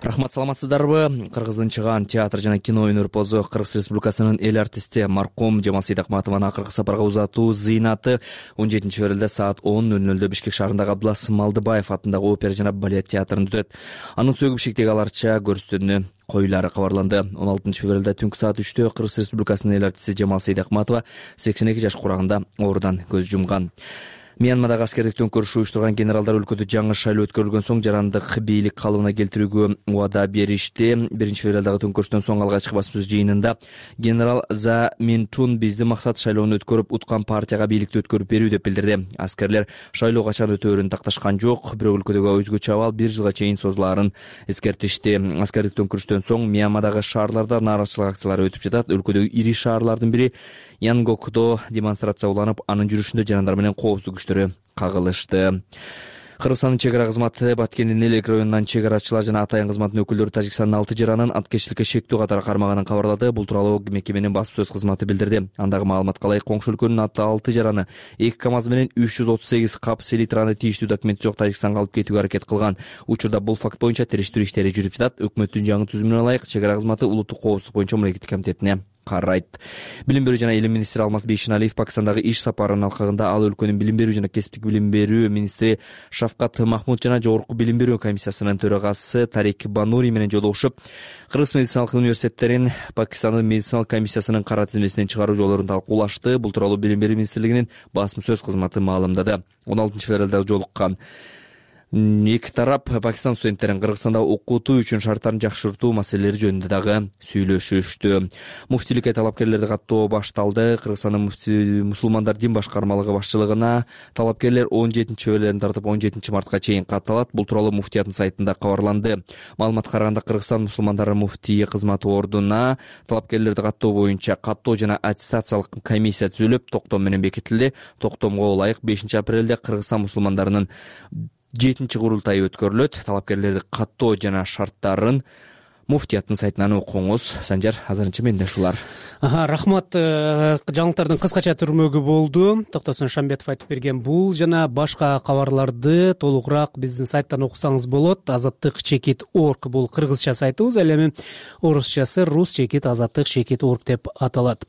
Рахмат, саламатсыздарбы? Кыргыздын чыгаан театр жана кино өнөрпозу, Кыргыз Республикасынын эл артисти маркум Жамал Сейдакматованын акыркы сапарга узатуу зыйнаты 17 февралда саат 10:00 Бишкек шаарындагы Абдылас Малдыбаев атындагы опера жана балет театрында өтөт. Анын сөөгү Бишкектеги аларча көрүстөнү коюлары кабарланды. 16 февралда түнкү саат 3-тө Кыргыз Республикасынын эл артисти Жамал Сейдакматова 82 жаш курагында оорудан көз жумган. Мьянмадагы аскердик төңкөрүш уюштурган генералдар өлкөдө жаңы шайлоо өткөрүлгөн соң жарандык бийлик калыбына келтирүүгө убада беришти. 1 февралдагы төңкөрүштөн соң алгачкы басма сөз жыйынында генерал За Минчун биздин максат шайлоону өткөрүп, уткан партияга бийликти өткөрүп берүү деп билдирди. Аскерлер шайлоо качан өтөөрүн такташкан жок, бирок өлкөдөгү өзгөчө абал 1 жылга чейин созулаарын эскертишти. Аскердик төңкөрүштөн соң Мьянмадагы шаарларда нааразычылык акциялары өтүп жатат. Өлкөдөгү ири шаарлардын бири Янгокдо демонстрация уланып, анын жүрүшүндө жарандар менен коопсуздук күчтөрү кагылышты. Кыргызстандын чек ара кызматы Баткендин Элек районунан чек арачылар жана Атайын кызматынын өкүлдөрү Тажикстандын 6 жаранын аткечиликке шектүү катары кармаганын кабарлады. Бул тууралуу мекеменин басма сөз кызматы билдирди. Андагы маалыматка ылайык коңшу өлкөнүн 6 жараны 2 КАМАЗ менен 338 кап селитраны тийиштүү документи жок Тажикстанга алып кетүүгө аракет кылган. Учурда бул факт боюнча териштирүү иштери жүрүп жатат. Өкмөттүн жаңы түзүмүнө ылайык чек ара кызматы улуттук коопсуздук боюнча мамлекеттик комитетине карайт. Билим берүү жана илим министри Алмаз Бейшеналиев Пакистандагы иш сапарынын алкагында ал өлкөнүн билим берүү жана кесиптик билим берүү министри Шавкат Махмуд жана Жогорку билим берүү комиссиясынын төрагасы Тарик Банури менен жолугушуп, Кыргыз медициналык университеттерин Пакистандын медициналык комиссиясынын кара тизмесинен чыгаруу жолдорун талкуулашты. Бул тууралуу билим берүү министрлигинин басма сөз кызматы маалымдады. 16 февралда жолуккан эки тарап Пакистан студенттерин Кыргызстанда окутуу үчүн шарттарын жакшыртуу маселелери жөнүндө дагы сүйлөшүштү. Муфтиликке талапкерлерди каттоо башталды. Кыргызстандын мусулмандар дин башкармалыгы башчылыгына талапкерлер 17 февралдан тартып 17 мартка чейин катталат. Бул тууралуу муфтияттын сайтында кабарланды. Маалыматка караганда Кыргызстан мусулмандары муфтии кызматы ордуна талапкерлерди каттоо боюнча каттоо жана аттестациялык комиссия түзүлүп, токтом менен бекитилди. Токтомго ылайык 5 апрелде Кыргызстан мусулмандарынын 7-чи курултайы өткөрүлөт. Талапкерлерди каттоо жана шарттарын муфтияттын сайтынан окуңуз. Санжар, азырынча менде ушулар. Рахмат. Жаңылыктардын кыскача түрмөгү болду. Токтосун Шамбетов айтып берген бул жана башка кабарларды толугураак биздин сайттан окусаңыз болот. Azattik.org бул кыргызча сайтыбыз, ал эми орусчасы rus.azattik.org деп аталат.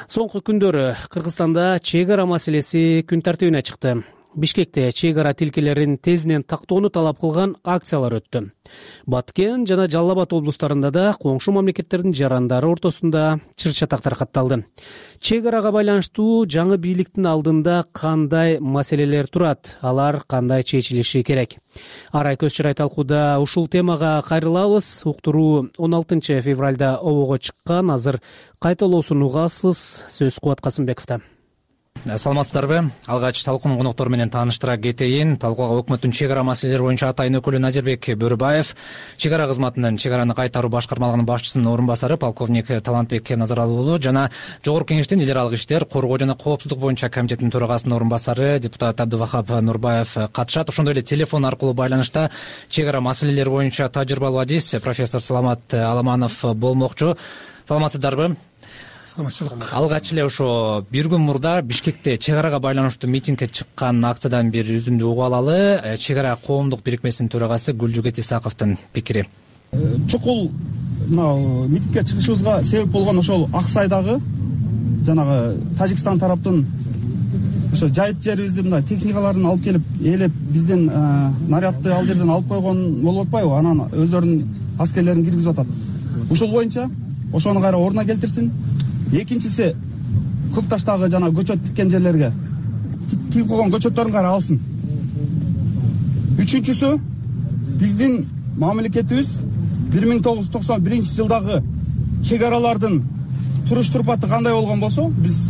Соңку күндөрү Кыргызстанда чек ара маселеси күн тартибине чыкты. Бишкекте чек ара тилкелерин тезинен тактоону талап кылган акциялар өттү. Баткен жана Жалал Абад облустарында да коңшу мамлекеттердин жарандары ортосунда чыр-чатак таркатталды. Чек арага байланыштуу жаңы бийликтин алдында кандай маселелер турат, алар кандай чечилиши керек? Арай көз чырай талкууда ушул темага кайрылабыз. Уктуруу 16 февралда обого чыккан. Азыр кайталоосун угасыз. Сөз Кубат Касымбековдо. Саламатсыздарбы? Алгач талкуунун коноктор менен тааныштыра кетейин. Талкууга өкмөттүн чек ара маселелери боюнча Атайын өкүлү Назирбек Бөрүбаев, чек ара кызматынын чек араны кайтаруу башкармалыгынын башчысынын орун басары полковник Талантбек Назаралы уулу жана Жогорку Кеңештин эл аралык иштер, коргоо жана коопсуздук боюнча комитетинин төрагасынын орун басары депутат Абдывахап Нурбаев катышат. Ошондой эле телефон аркылуу байланышта чек ара маселелери боюнча тажрыйбалуу адис профессор Саламат Аламанов болмокчу. Саламатсыздарбы? саламатчылык. Алгач эле ошо бир күн мурда Бишкекте чек арага байланыштуу митингге чыккан акциядан бир үзүндү угуп алалы. Чек ара коомдук бирикмесинин төрагасы Гүлжүгет Исаковдун пикири. Чукул мына митингге чыгышыбызга себеп болгон ошол Аксайдагы жанагы Тажикстан тараптын ошо жайыт жерибизди мындай техникаларын алып келип ээлеп бизден нарядды ал жерден алып койгон болуп атпайбы? Анан өздөрүнүн аскерлерин киргизип атат. Ушул боюнча ошону кайра ордуна келтирсин. Экинчиси Көк Таштагы жана көчөт тиккен жерлерге тигип койгон көчөттөрүн кайра алсын. Үчүнчүсү биздин мамлекетибиз 1991-жылдагы чек аралардын туруш турпаты кандай болгон болсо, биз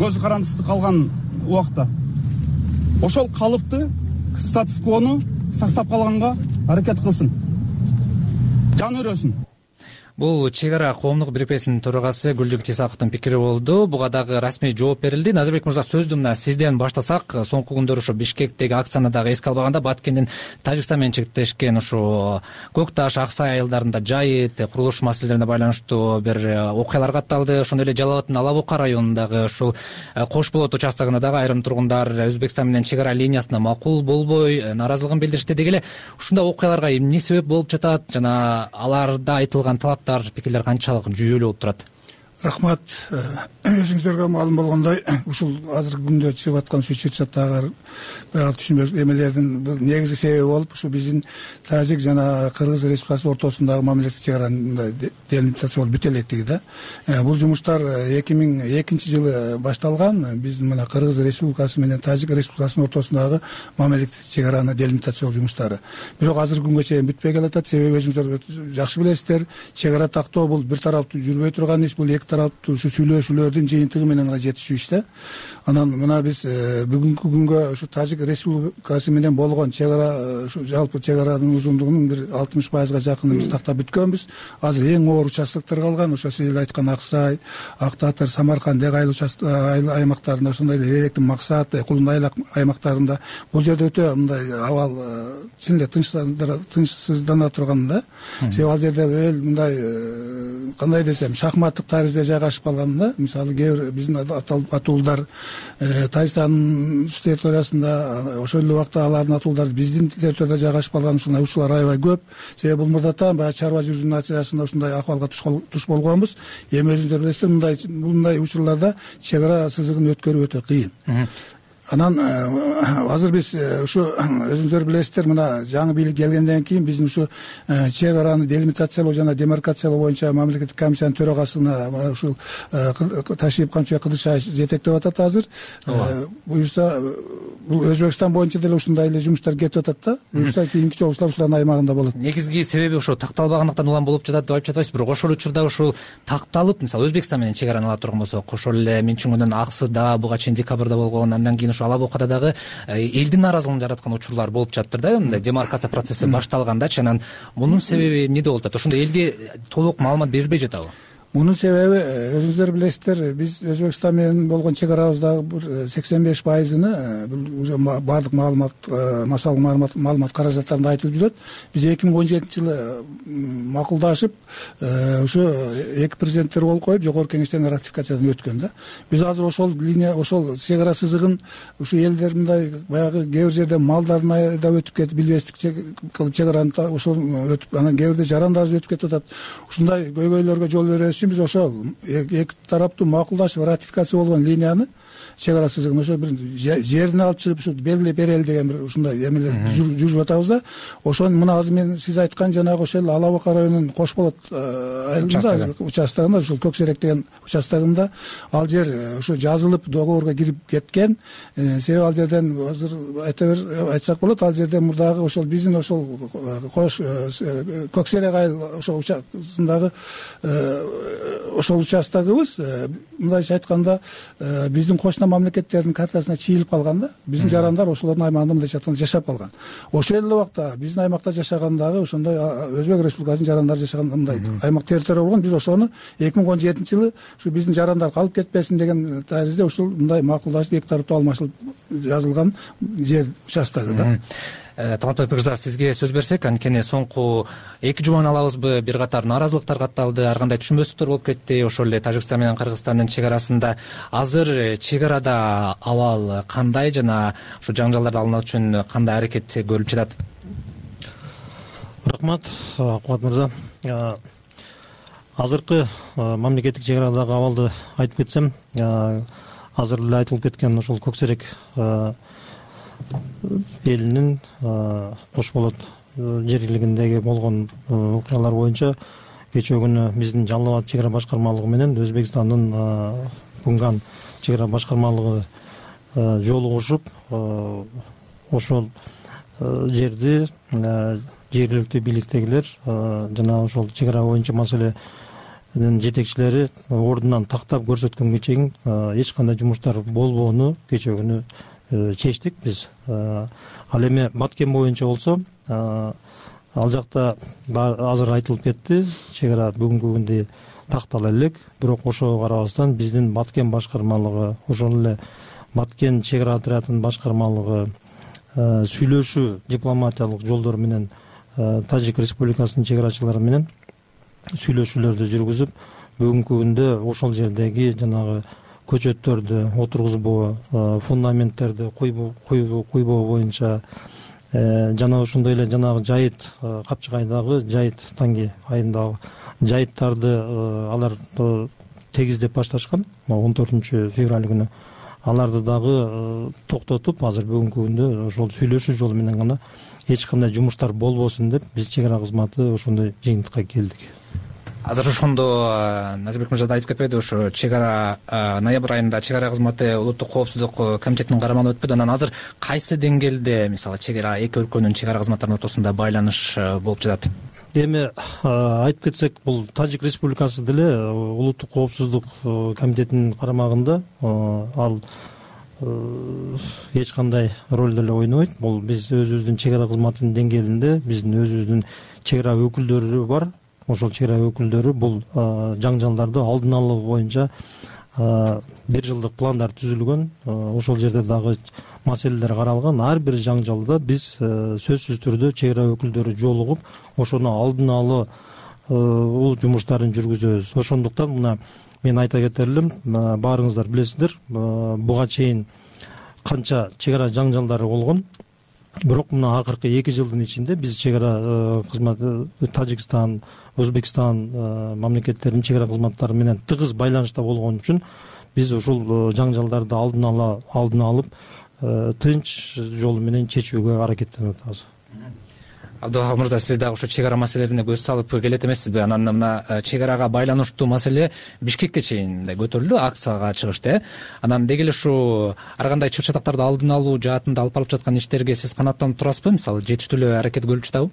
көзү карандысыз калган убакта ошол калыпты статус-квону сактап калганга аракет кылсын. Жан өрөсүн. Бул чек ара коомдук бирикмесинин төрагасы Гүлжүгет Исаковдун пикири болду. Буга дагы расмий жооп берилди. Назарбек мырза, сөздү мына сизден баштасак. Соңку күндөр ошо Бишкектеги акцияны дагы эске албаганда Баткендин Тажикстан менен чектешкен ошо Көк Таш, Аксай айылдарында жайыт, курулуш маселелерине байланыштуу бир окуялар катталды. Ошондой эле Жалал абаддын Ала Бука районундагы ушул Кош Болот участогунда дагы айрым тургундар Өзбекстан менен чек ара линиясына макул болбой нааразылыгын билдиришти. Деги эле ушундай окуяларга эмне себеп болуп жатат жана аларда айтылган пикирлер канчалык жүйөлүү болуп турат? Рахмат. Өзүңүздөргө маалым болгондой, ушул азыркы күндө чыгып аткан чат-чаттагы түшүнбөк эмелердин негизги себеби болуп, ушу биздин Тажик жана Кыргыз Республикасы ортосундагы мамилеттик чек аранын делимитация болуп бүтө электиги да. Бул жумуштар 2002-жылы башталган. Биз мына Кыргыз Республикасы менен Тажик Республикасынын ортосундагы мамилеттик чек араны делимитациялоо жумуштары. Бирок азыркы күнгө чейин бүтпөй келатат. Себеби өзүңүздөр жакшы билесиздер, чек ара тактоо бул бир тараптуу жүрбөй турган иш, бул эки тараптуу ушу сүйлөшүүлөрдүн жыйынтыгы менен гана жетишүү иш да. Анан мына биз бүгүнкү күнгө ушу Тажик Республикасы менен болгон чек ара, ушу жалпы чек аранын узундугунун бир 60%га жакынын биз тактап бүткөнбүз. Азыр эң оор участоктор калган, ошо сиз эле айткан Аксай, Ак Татыр, Самарканд аймактарында, ошондой эле Электин Максат, Кулунай аймактарында бул жерде өтө мындай абал чын эле тынчсыздана турган да. Себеби ал жерде мындай кандай десем, шахматтык таризде жайгашып калган да. Мисалы кээ бир биздин атуулдар Тажикстандын территориясында, ошол эле убакта алардын атуулдары биздин территорияда жайгашып калган ушундай учурлар аябай көп. Себеби бул мурдатан баягы чарба жүзүүнүн натыйжасында ушундай акыбалга туш болгонбуз. Эми өзүңүздөр билесиздер, мындай учурларда чек ара сызыгын өткөрүү өтө кыйын. Анан азыр биз ушу өзүңүздөр билесиздер, мына жаңы бийлик келгенден кийин биздин ушу чек араны делимитациялоо жана демаркациялоо боюнча мамлекеттик комиссиянын төрагасына ушул Ташип Камчыбек Кыдыршаев жетектеп атат азыр. Буюрса бул Өзбекстан боюнча деле ушундай эле жумуштар кетип атат да. Буюрса кийинки чогулуштар ушулардын аймагында болот. Негизги себеби ошо такталбагандыктан улам болуп жатат деп айтып жатпайсыз, бирок ошол учурда ушул такталып, мисалы Өзбекстан менен чек араны ала турган болсок, ошол эле Менчунгундун Аксыда, буга чейин декабрда болгон, андан кийин Ала Букада дагы элдин нааразылыгын жараткан учурлар болуп жатыр да. Мындай демаркация процесси башталгандачы. Анан мунун себеби эмнеде болуп атат? Ошондо элге толук маалымат берилбей жатабы? Мунун себеби өзүңүздөр билесиздер, биз Өзбекстан менен болгон чек арабыздагы бир 85%-ны бул уже баардык маалымат каражаттарында айтылып жүрөт. Биз 2017-жылы макулдашып, ушу эки президенттер кол коюп, жогорку кеңештен ратификациядан өткөн да. Биз азыр ошол линия, ошол чек ара сызыгын ушу элдер мындай баягы кээ бир жерде малдарын айдап өтүп кетип, билбестик кылып чек араны ошол өтүп, анан кээ бирде жарандар өтүп кетип атат. Ушундай көйгөйлөргө жол бербеш үчүн биз ошол эки тараптуу макулдашып ратификация болгон линияны, чек ара сызыгын ошо бир жерине алып чыгып ушу белгилеп берели деген бир ушундай эмелер жүрүп атабыз да. Ошону мына азыр мен сиз айткан жанагы ошол Ала Бука районунун Кош Болот айылында участогунда, ушул Көксерек деген участогунда ал жер ушу жазылып договорго кирип кеткен. Себеби ал жерден азыр айтсак болот, ал жерде мурдагы ошол биздин ошол Кош Көксерек айыл ошол участогундагы ошол участогубуз мындайча айтканда биздин кошуна мамлекеттердин картасына чийилип калган да. Биздин жарандар ошолордун аймагында мындайча айтканда жашап калган. Ошол эле убакта биздин аймакта жашагандагы ошондой Өзбек Республикасынын жарандары жашаган мындай аймак территория болгон. Биз ошону 2017-жылы ушу биздин жарандар калып кетпесин деген таризде ушул мындай макулдашып эки тараптуу алмашылып жазылган жер участогу да. Талантбек мырза, сизге сөз берсек, анткени соңку 2 жуманы алабызбы, бир катар нааразылыктар катталды, ар кандай түшүнбөстүктөр болуп кетти, ошол эле Тажикстан менен Кыргызстандын чек арасында. Азыр чек арада абал кандай жана ушу жаңжалдарды алуу үчүн кандай аракет көрүлүп жатат? Рахмат, Кубат мырза. Азыркы мамлекеттик чек арадагы абалды айтып кетсем, азыр эле айтылып кеткен ошол Көксерек элинин Кош болот жер бийлигиндеги болгон окуялар боюнча кечээ күнү биздин Жалал Абад чек ара башкармалыгы менен Өзбекстандын Кунган чек ара башкармалыгы жолугушуп, ошол жерди жергиликтүү бийликтегилер жана ошол чек ара боюнча маселенин жетекчилери ордунан тактап көрсөткөнгө чейин эч кандай жумуштар болбоону кечээ күнү чечтик биз. Ал эми Баткен боюнча болсо, ал жакта азыр айтылып кетти, чек ара бүгүнкү күндө тактала элек, бирок ошого карабастан биздин Баткен башкармалыгы, ошол эле Баткен чек ара отрядынын башкармалыгы сүйлөшүү дипломатиялык жолдор менен Тажик Республикасынын чек арачылары менен сүйлөшүүлөрдү жүргүзүп, бүгүнкү күндө ошол жердеги жанагы көчөттөрдү отургузбоо, фундаменттерди куйбоо боюнча жана ошондой эле жанагы жайыт, Капчыгайдагы жайыт, Танги айындагы жайыттарды алар тегиздеп башташкан 14 февраль күнү. Аларды дагы токтотуп, азыр бүгүнкү күндө ошол сүйлөшүү жолу менен гана эч кандай жумуштар болбосун деп биз чек ара кызматы ошондой жыйынтыкка келдик. Азыр ошондо Назирбек мырза да айтып кетпеди, ошо чек ара ноябрь айында чек ара кызматы улуттук коопсуздук комитетинин карамагына өтпөдү. Анан азыр кайсы деңгээлде, мисалы, чек ара эки өлкөнүн чек ара кызматтарынын ортосунда байланыш болуп жатат? Эми айтып кетсек, бул Тажик Республикасы деле улуттук коопсуздук комитетинин карамагында, ал эч кандай роль деле ойнобойт. Бул биз өзүбүздүн чек ара кызматынын деңгээлинде биздин өзүбүздүн чек ара өкүлдөрү бар. Ошол чек ара өкүлдөрү бул жаңжалдарды алдын алуу боюнча 1 жылдык пландар түзүлгөн. Ошол жерде дагы маселелер каралган. Ар бир жаңжалда биз сөзсүз түрдө чек ара өкүлдөрү жолугуп, ошону алдын алуу жумуштарын жүргүзөбүз. Ошондуктан мына мен айта кетер элем, баарыңыздар билесиздер, буга чейин канча чек ара жаңжалдары болгон. Бирок мына акыркы 2 жылдын ичинде биз чек ара кызматы Тажикстан, Өзбекстан мамлекеттеринин чек ара кызматтары менен тыгыз байланышта болгон үчүн биз ушул жаңжалдарды алдын алып тынч жол менен чечүүгө аракеттенип атабыз. Абдыга мырза, сиз дагы ушу чек ара маселелерине көз салып келет эмессизби? Анан мына чек арага байланыштуу маселе Бишкекке чейин көтөрүлдү, акцияга чыгышты. Анан деги эле ушу ар кандай чыр чатактарды алдын алуу жаатында алып барып жаткан иштерге сиз канааттанып турасызбы? Мисалы, жетиштүү эле аракет көрүлүп жатабы?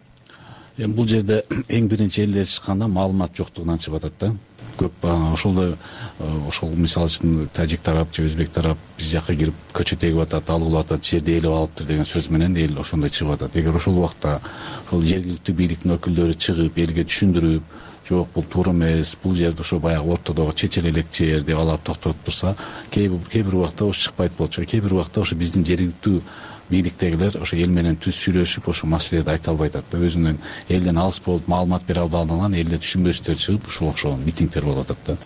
Эми бул жерде эң биринчи элдер чыкканда маалымат жоктугунан чыгып атат да. Көп ошол мисалы үчүн тажик тарап же өзбек тарап биз жака кирип көчө тегип атат, алып атат, жерди ээлеп алыптыр деген сөз менен эл ошондой чыгып атат. Эгер ошол убакта ошол жергиликтүү бийликтин өкүлдөрү чыгып элге түшүндүрүп, жок бул туура эмес, бул жерде ошо баягы ортодогу чечел элек жер деп алып токтотуп турса, кээ бир убакта ошо чыкпайт болчу. Кээ бир убакта ошо биздин жергиликтүү бийликтегилер ошо эл менен түз сүйлөшүп, ошо маселелерди айта албай атат да. Өзүнүн элден алыс болуп маалымат бере албагандан элде түшүнбөстөр чыгып, ошол митингдер болуп атат да.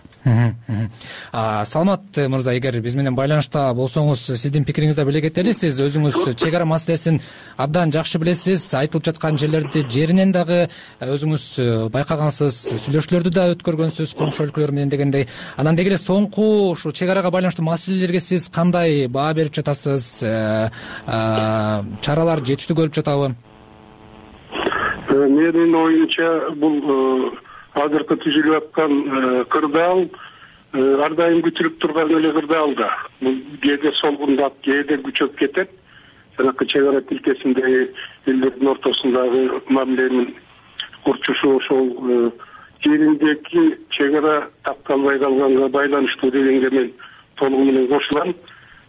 Саламат мырза, эгер биз менен байланышта болсоңуз, сиздин пикириңизди беле кетели. Сиз өзүңүз чек ара маселесин абдан жакшы билесиз. Айтылып жаткан жерлерди жеринен дагы өзүңүз байкагансыз, сүйлөшүүлөрдү да өткөргөнсүз коңшу өлкөлөр менен дегендей. Анан деги эле соңку ушу чек арага байланыштуу маселелерге сиз кандай баа берип жатасыз? Чаралар жетиштүү көрүлүп жатабы? Менин оюмча бул азыркы түзүлүп аткан кырдаал ар дайым күтүлүп турган эле кырдаал да. Бул кээде солгундап, кээде күчөп кетет. Жанакы чек ара тилкесиндеги элдердин ортосундагы мамиленин курчушу ошол жериндеги чек ара такталбай калганга байланыштуу дегенге мен толугу менен кошулам.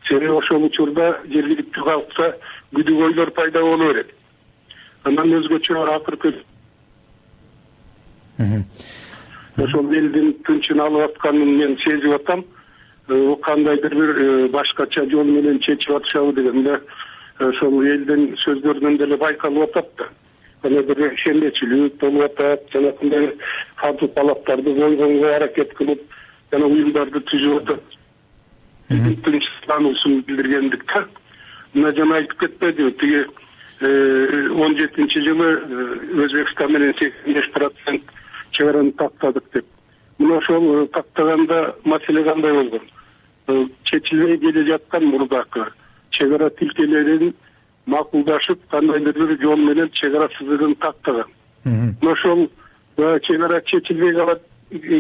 Себеби ошол учурда жергиликтүү калкта күдүгөйлөр пайда боло берет. Андан өзгөчө акыркы ошол элдин тынчын алып атканын мен сезип атам. Кандайдыр бир башкача жол менен чечип атышабы дегенде ошол элдин сөздөрүнөн деле байкалып атат да. Аны бир ишенбечилик болуп атат, жанагындай катуу талаптарды койгонго аракет кылып, жана уюмдарды түзүп атат. Тынчсыздануусун билдиргендик да. Мына жана айтып кетпедиби, тиги 17-жылы Өзбекстан менен 85% чегараны тактадык деп. Мына ошол тактаганда маселе кандай болгон? Чечилбей келе жаткан мурдакы чегара тилкелерин макулдашып, кандайдыр бир жол менен чегара сызыгын тактаган. Ошол чегара чечилбей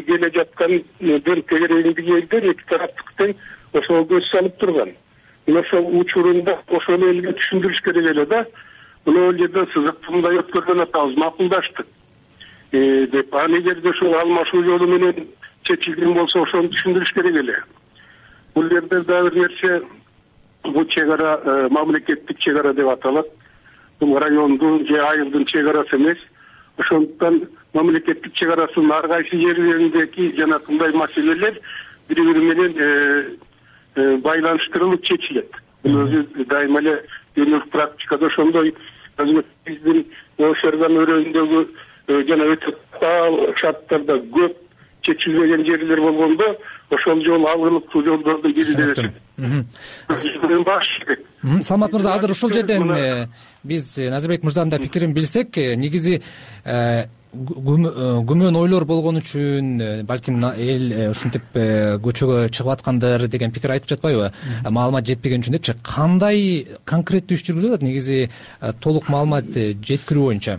келе жаткан бир тегереңдиги элдер эки тараптык тең ошол көз салып турган. Ошол учурунда ошол элге түшүндүрүш керек эле да. Мына ал жерде сызыкты мындай өткөргөн атабыз, макулдаштык деп. А эгерде ошол алмашуу жолу менен чечилген болсо, ошону түшүндүрүш керек эле. Бул жерде дагы бир нерсе, бул чегара мамлекеттик чегара деп аталат. Бул райондун же айылдын чегарасы эмес. Ошондуктан мамлекеттик чегарасынын ар кайсы жерлериндеги жанакындай маселелер бири-бири менен байланыштырылып чечилет. Бул өзү дайыма эле дүйнөлүк практикада ошондой биздин Ошерган өрөөнүндөгү жана өтө тал шарттарда көп чечилбеген жерлер болгондо ошол жол алгылыктуу жолдордун бири деп эсептейт. Салмат мырза, азыр ушул жерден биз Назирбек мырзанын да пикирин билсек, негизи күмөн ойлор болгон үчүн балким эл ушинтип көчөгө чыгып аткандыр деген пикир айтып жатпайбы? Маалымат жетпеген үчүн депчи. Кандай конкреттүү иш жүргүзүлүп атат негизи толук маалымат жеткирүү боюнча?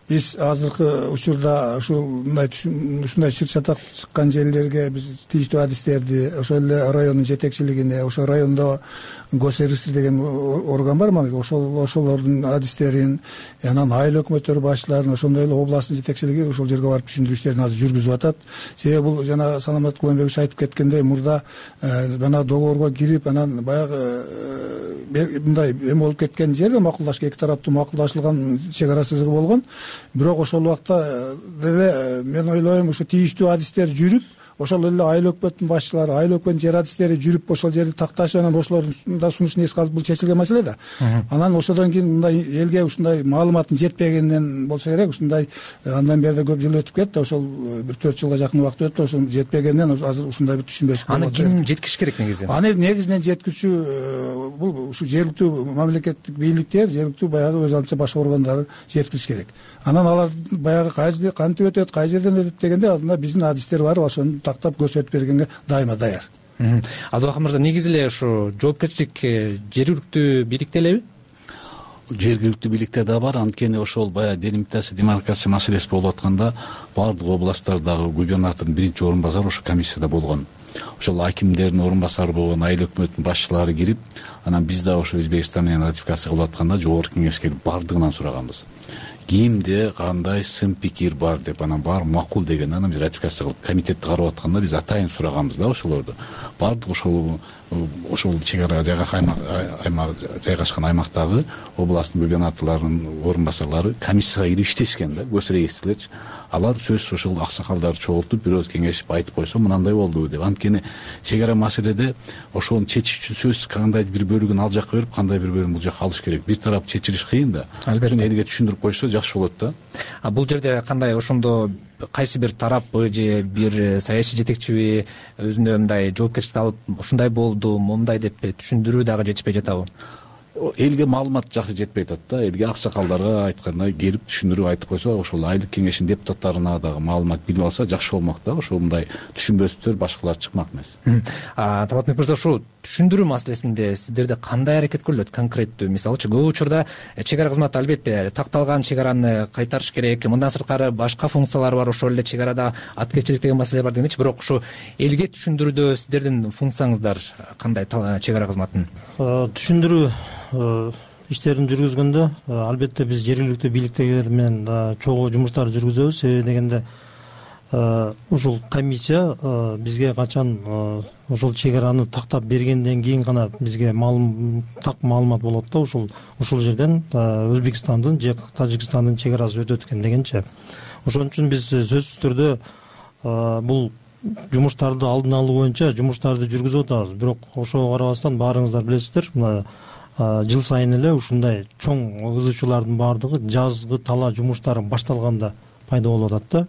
Биз азыркы учурда ушундай чыр чатак чыккан жерлерге биз тийиштүү адистерди, ошол эле райондун жетекчилигине, ошол райондо госрегистр деген орган бар, ошолордун адистерин, анан айыл өкмөттөр башчыларын, ошондой эле областтын жетекчилиги ошол жерге барып түшүндүрүү иштерин азыр жүргүзүп атат. Себеби бул жана Саламат Куланбекович айтып кеткендей, мурда жана договорго кирип, анан баягы мындай эме болуп кеткен жерде макулдашка, эки тараптуу макулдашылган чегара сызыгы болгон. Бирок ошол убакта деле мен ойлойм, ушу тийиштүү адистер жүрүп, ошол эле айыл өкмөттүн башчылары, айыл өкмөттүн жер адистери жүрүп ошол жерди такташып, анан ошолордун да сунушун эске алып, бул чечилген маселе да. Анан ошодон кийин мындай элге ушундай маалыматтын жетпегенинен болсо керек, ушундай андан бери да көп жыл өтүп кетти, ошол бир 4 жылга жакын убакыт өттү, ошол жетпегенинен азыр ушундай бир түшүнбөчүлүк. Аны ким жеткириш керек негизи? Аны негизинен жеткирүүчү бул ушу жергиликтүү мамлекеттик бийликтер, жергиликтүү баягы өз алдынча башка органдар жеткириш керек. Анан алар баягы кайсы кантип өтөт, кай жерден өтөт дегенде алдында биздин адистер бар, ошону тактап көрсөтүп бергенге дайыма даяр. Абдыбакыр мырза, негизи эле ушу жоопкерчилик жергиликтүү бийликте элеби? Жергиликтүү бийликте да бар. Анткени ошол баягы делимитация, демаркация маселеси болуп атканда баардык областтардагы губернатордун биринчи орун басары ошо комиссияда болгон. Ошол акимдердин орун басары болгон, айыл өкмөттүн башчылары кирип, анан биз да ошо Өзбекстан менен ратификация кылып атканда жогорку кеңешке келип бардыгынан сураганбыз. Кимде кандай сын пикир бар деп, анан баары макул деген, анан биз ратификация кылып комитетти карап атканда биз атайын сураганбыз да ошолорду. Бардык ошол чегара аймак жайгашкан аймактагы областтын губернаторлорунун орун басарлары комиссияга кирип иштешкен да, госрегистрлерчи. Алар сөзсүз ошол аксакалдарды чогултуп, бир өз кеңешип айтып койсо мынандай болду деп. Анткени чегара маселеде ошону чечиш үчүн сөзсүз кандайдыр бир бөлүгүн ал жакка берип, кандайдыр бир бөлүгүн бул жакка алыш керек. Бир тарап чечилиш кыйын да. Албетте. Элге түшүндүрүп койсо жакшы болот да. Бул жерде кандай, ошондо кайсы бир тараппы же бир саясий жетекчиби өзүнө мындай жоопкерчиликти алып, ушундай болду, момундай деп түшүндүрүү дагы жетишпей жатабы? Элге маалымат жакшы жетпей атат да. Элге аксакалдарга айткандай келип түшүндүрүп айтып койсо, ошол айылдык кеңештин депутаттарына дагы маалымат билип алса жакшы болмок да. Ошол мындай түшүнбөстөр башкалар чыкмак эмес. Талатбек мырза, ушул түшүндүрүү маселесинде сиздерде кандай аракет көрүлөт конкреттүү? Мисалычы, көп учурда чегара кызматы албетте такталган чегараны кайтарыш керек, мындан сырткары башка функциялары бар, ошол эле чегарада аткерчилик деген маселе бар дегенчи. Бирок ушу элге түшүндүрүүдө сиздердин функцияңыздар кандай чегара кызматынын? Түшүндүрүү иштерин жүргүзгөндө албетте биз жергиликтүү бийликтегилер менен чогуу жумуштарды жүргүзөбүз. Себеби дегенде ушул комиссия бизге качан ошол чегараны тактап бергенден кийин гана бизге так маалымат болот да, ушул жерден Өзбекстандын же Тажикстандын чегарасы өтөт экен дегенче. Ошон үчүн биз сөзсүз түрдө бул жумуштарды алдын алуу боюнча жумуштарды жүргүзүп атабыз. Бирок ошого карабастан баарыңыздар билесиздер, жыл сайын эле ушундай чоң ызычуулардын баардыгы жазгы талаа жумуштары башталганда пайда болуп атат да.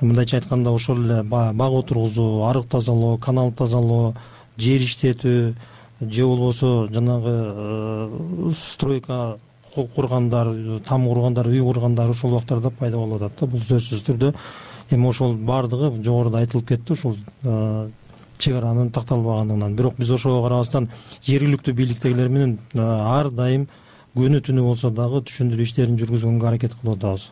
Мындайча айтканда ошол эле бак отургузуу, арык тазалоо, канал тазалоо, жер иштетүү же болбосо жанагы стройка кургандар, там кургандар, үй кургандар ошол убактарда пайда болуп атат да. Бул сөзсүз түрдө эми ошол баардыгы жогоруда айтылып кетти, ушул чек аранын такталбаганынан. Бирок биз ошого карабастан жергиликтүү бийликтегилер менен ар дайым күнү түнү болсо дагы түшүндүрүү иштерин жүргүзгөнгө аракет кылып атабыз.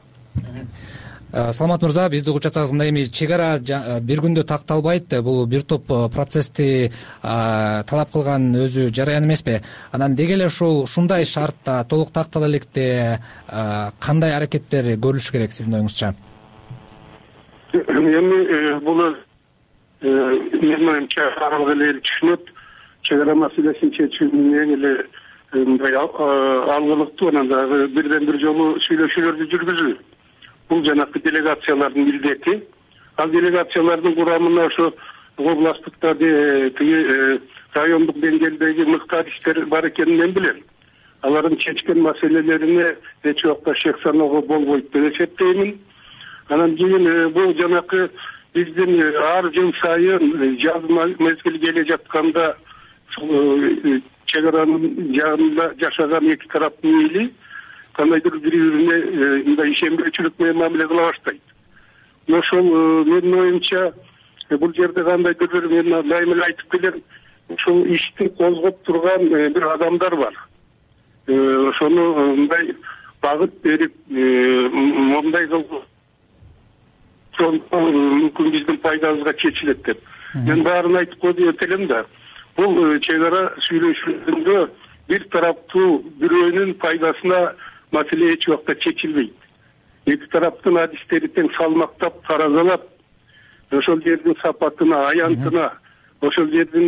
Саламат мырза, бизди угуп жатсаңыз, мындай эми чек ара бир күндө такталбайт, бул бир топ процессти талап кылган өзү жараян эмеспи? Анан деги эле ушундай шартта толук тактала электе кандай аракеттер көрүлүшү керек сиздин оюңузча? Эми бул менин оюмча баардык эле түшүнөт. Чек ара маселесин чечүүнүн эң эле мындай алгылыктуу, анан дагы бирден бир жолу сүйлөшүүлөрдү жүргүзүү. Бул жанакы делегациялардын милдети. Ал делегациялардын курамына ошо областтыкта тиги райондук деңгээлдеги мыктариштер бар экенин мен билем. Алардын чечкен маселелерине эч убакта шек саноого болбойт деп эсептеймин. Анан кийин бул жанакы биздин ар жыл сайын жаз мезгили келе жатканда чек аранын жанында жашаган эки тараптын эли кандайдыр бири-бирине мындай ишенбөөчүлүк менен мамиле кыла баштайт. Ошол менин оюмча бул жерде кандайдыр бир мен дайыма эле айтып келем, ушул ишти козгоп турган бир адамдар бар. Ошону мындай багыт берип, мондай кылып мүмкүн биздин пайдабызга чечилет деп. Мен баарын айтып коюп элем да. Бул чек ара сүйлөшүүлөрүндө бир тараптуу бирөөнүн пайдасына маселе эч убакта чечилбейт. Эки тараптын адистери тең салмактап, таразалап, ошол жердин сапатына, аянтына, ошол жердин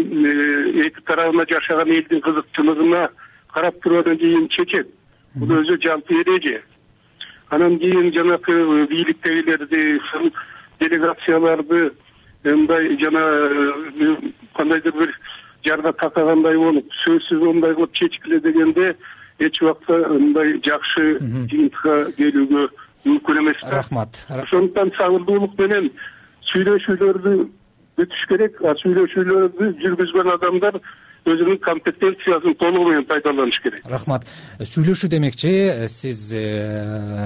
эки тарабына жашаган элдин кызыкчылыгына карап тургандан кийин чечет. Бул өзү жалпы эреже. Анан кийин жанакы бийликтегилерди, делегацияларды мындай жана кандайдыр бир жарга такагандай болуп, сөзсүз мындай кылып чечкиле дегенде эч убакта мындай жакшы жыйынтыкка келүүгө мүмкүн эмес. Рахмат. Ошондуктан сабырдуулук менен сүйлөшүүлөрдү өтүш керек. Сүйлөшүүлөрдү жүргүзгөн адамдар өзүнүн компетенциясын толугу менен пайдаланыш керек. Рахмат. Сүйлөшүү демекчи, сиз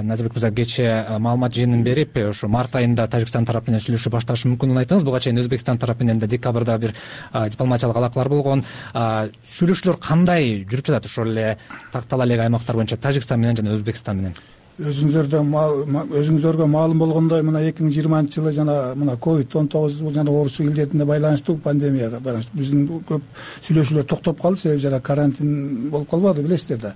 Назарбек мырза кечээ маалымат жыйынын берип, ошо март айында Тажикстан тарапы менен сүйлөшүү башташы мүмкүндүгүн айттыңыз. Буга чейин Өзбекстан тарапы менен да декабрда бир дипломатиялык алакалар болгон. Сүйлөшүүлөр кандай жүрүп жатат ошол эле тактала элек аймактар боюнча Тажикстан менен жана Өзбекстан менен? Өзүңүздөргө маалым болгондой, мына 2020-жылы жана мына COVID-19 жана оорусу илдетине байланыштуу пандемияга байланыштуу биздин көп сүйлөшүүлөр токтоп калды, себеби жана карантин болуп калбады, билесиздер да.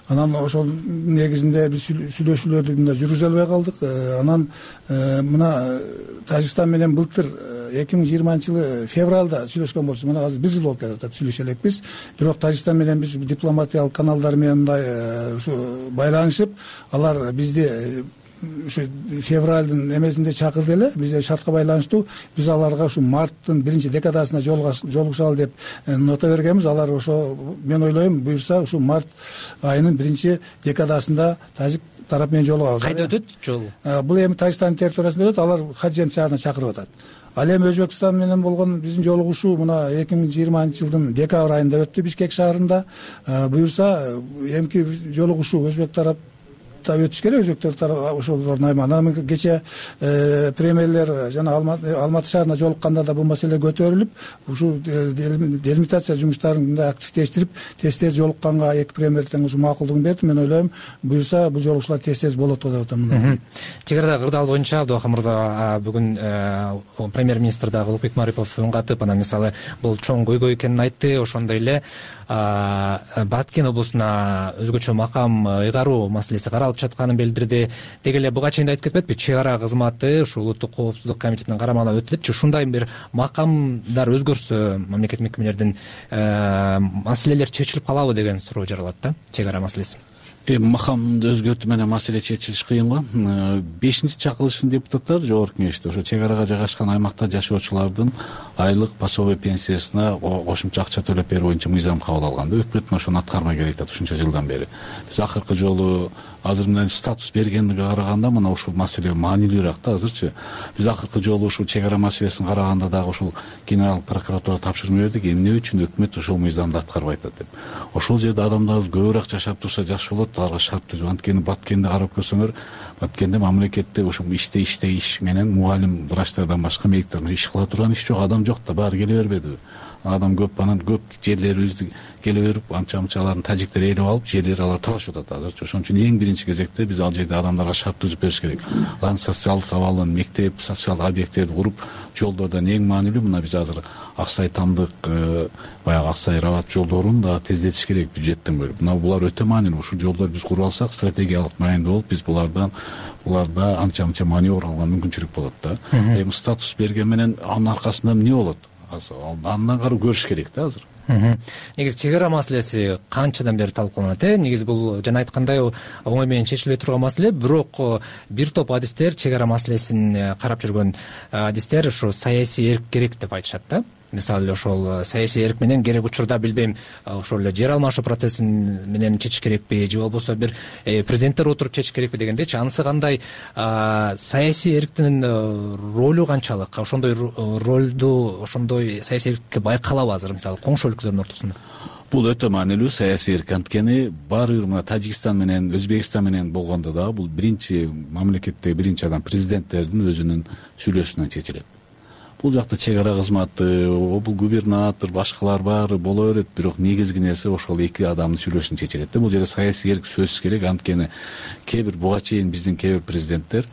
Анан ошол негизинде биз сүйлөшүүлөрдү мында жүргүзө албай калдык. Анан мына Тажикстан менен былтыр 2020-жылы февралда сүйлөшкөн болчубуз. Мына азыр бир жыл болуп кетип сүйлөшө элекпиз. Бирок Тажикстан менен биз дипломатиялык каналдар менен мындай ушу байланышып, алар бизди ушу февралдын эмесинде чакырды эле. Бизде шартка байланыштуу биз аларга ушу марттын биринчи декадасына жолугушалы деп нота бергенбиз. Алар ошо мен ойлойм буюрса ушу март айынын биринчи декадасында тажик тарап менен жолугабыз. Кайда өтөт жол? Бул эми Тажикстандын территориясында өтөт. Алар Хаджент шаарына чакырып атат. Ал эми Өзбекстан менен болгон биздин жолугушуу мына 2020-жылдын декабрь айында өттү Бишкек шаарында. Буюрса эмки жолугушуу өзбек тарап өтүш керек, өзбектер тарап ошолордун аймагына. Анан кечээ премьерлер жана Алматы шаарына жолукканда да бул маселе көтөрүлүп, ушул делимитация жумуштарын мындай активдештирип, тез жолукканга эки премьер тең ушу макулдугун берди. Мен ойлойм, буюрса бул жолугушуулар тез болот деп атам. Чек арада кырдаал боюнча Абдыбакыр мырза бүгүн премьер-министр дагы Улукбек Марипов үн катып, анан мисалы бул чоң көйгөй экенин айтты. Ошондой эле Баткен облусуна өзгөчө макам ыйгаруу маселеси каралып жатканын билдирди. Деги эле буга чейин да айтып кетпедипи, чек ара кызматы ушул улуттук коопсуздук комитетинин карамагына өтүлүпчү. Ушундай бир макамдар өзгөрсө мамлекет мекемелердин маселелер чечилип калабы деген суроо жаралат да, чек ара маселеси. Макамды өзгөртүү менен маселе чечилиш кыйын го. 5-чакырылыштын депутаттары жогорку кеңеште ошо чек арага жайгашкан аймакта жашоочулардын айлык пособие пенсиясына кошумча акча төлөп берүү боюнча мыйзам кабыл алганда өкмөт ошону аткармай келе жатат ушунча жылдан бери. Биз акыркы жолу азыр мындай статус бергенге караганда мына ушул маселе маанилүүрөөк да азырчы. Биз акыркы жолу ушул чек ара маселесин караганда дагы ушул генералдык прокуратурага тапшырма бердик. Эмне үчүн өкмөт ушул мыйзамды аткарбай атат деп. Ошол жерде адамдар көбүрөөк жашап турса жакшы болот, аларга шарт түзүп. Анткени Баткенди карап көрсөңөр, Баткенде мамлекетте ушул иш менен мугалим врачтардан башка медиктерден иш кыла турган иш жок, адам жок да, баары келе бербедиби? Адам көп, анан көп жерлерибизди келе берип, анча-мынча алардын тажиктер ээлеп алып, жерлери алар талашып атат азырчы. Ошон үчүн эң биринчи кезекте биз ал жерде адамдарга шарт түзүп бериш керек. Алардын социалдык абалын, мектеп, социалдык объекттерди куруп, жолдордон эң маанилүү мына биз азыр Аксай Тамдык, баягы Аксай Рабат жолдорун да тездетиш керек бюджеттен бөлүп. Мына булар өтө маанилүү. Ушул жолдорду биз куруп алсак, стратегиялык маанилүү болуп, биз буларда анча-мынча маневр алган мүмкүнчүлүк болот да. Эми статус берген менен анын аркасында эмне болот? Андан кары көрүш керек да азыр. Негизи чек ара маселеси канчадан бери талкууланат? Негизи бул жана айткандай оңой менен чечилбей турган маселе, бирок бир топ адистер чек ара маселесин карап жүргөн адистер ушу саясий эрк керек деп айтышат да. Мисалы ошол саясий эрк менен керек учурда билбейм, ошол эле жер алмашуу процессин менен чечиш керекпи же болбосо бир президенттер отуруп чечиш керекпи дегендечи. Анысы кандай, саясий эрктин ролу канчалык? Ошондой ролду, ошондой саясий эркке байкалабы азыр мисалы коңшу өлкөлөрдүн ортосунда? Бул өтө маанилүү саясий эрк. Анткени баары бир мына Тажикстан менен Өзбекстан менен болгондо дагы бул биринчи мамлекеттеги биринчи адам президенттердин өзүнүн сүйлөшүүнөн чечилет. Бул жакта чек ара кызматы, бул губернатор, башкалар баары боло берет, бирок негизги нерсе ошол эки адамдын сүйлөшүүнүн чечилет да. Бул жерде саясий эрк сөзсүз керек. Анткени кээ бир буга чейин биздин кээ бир президенттер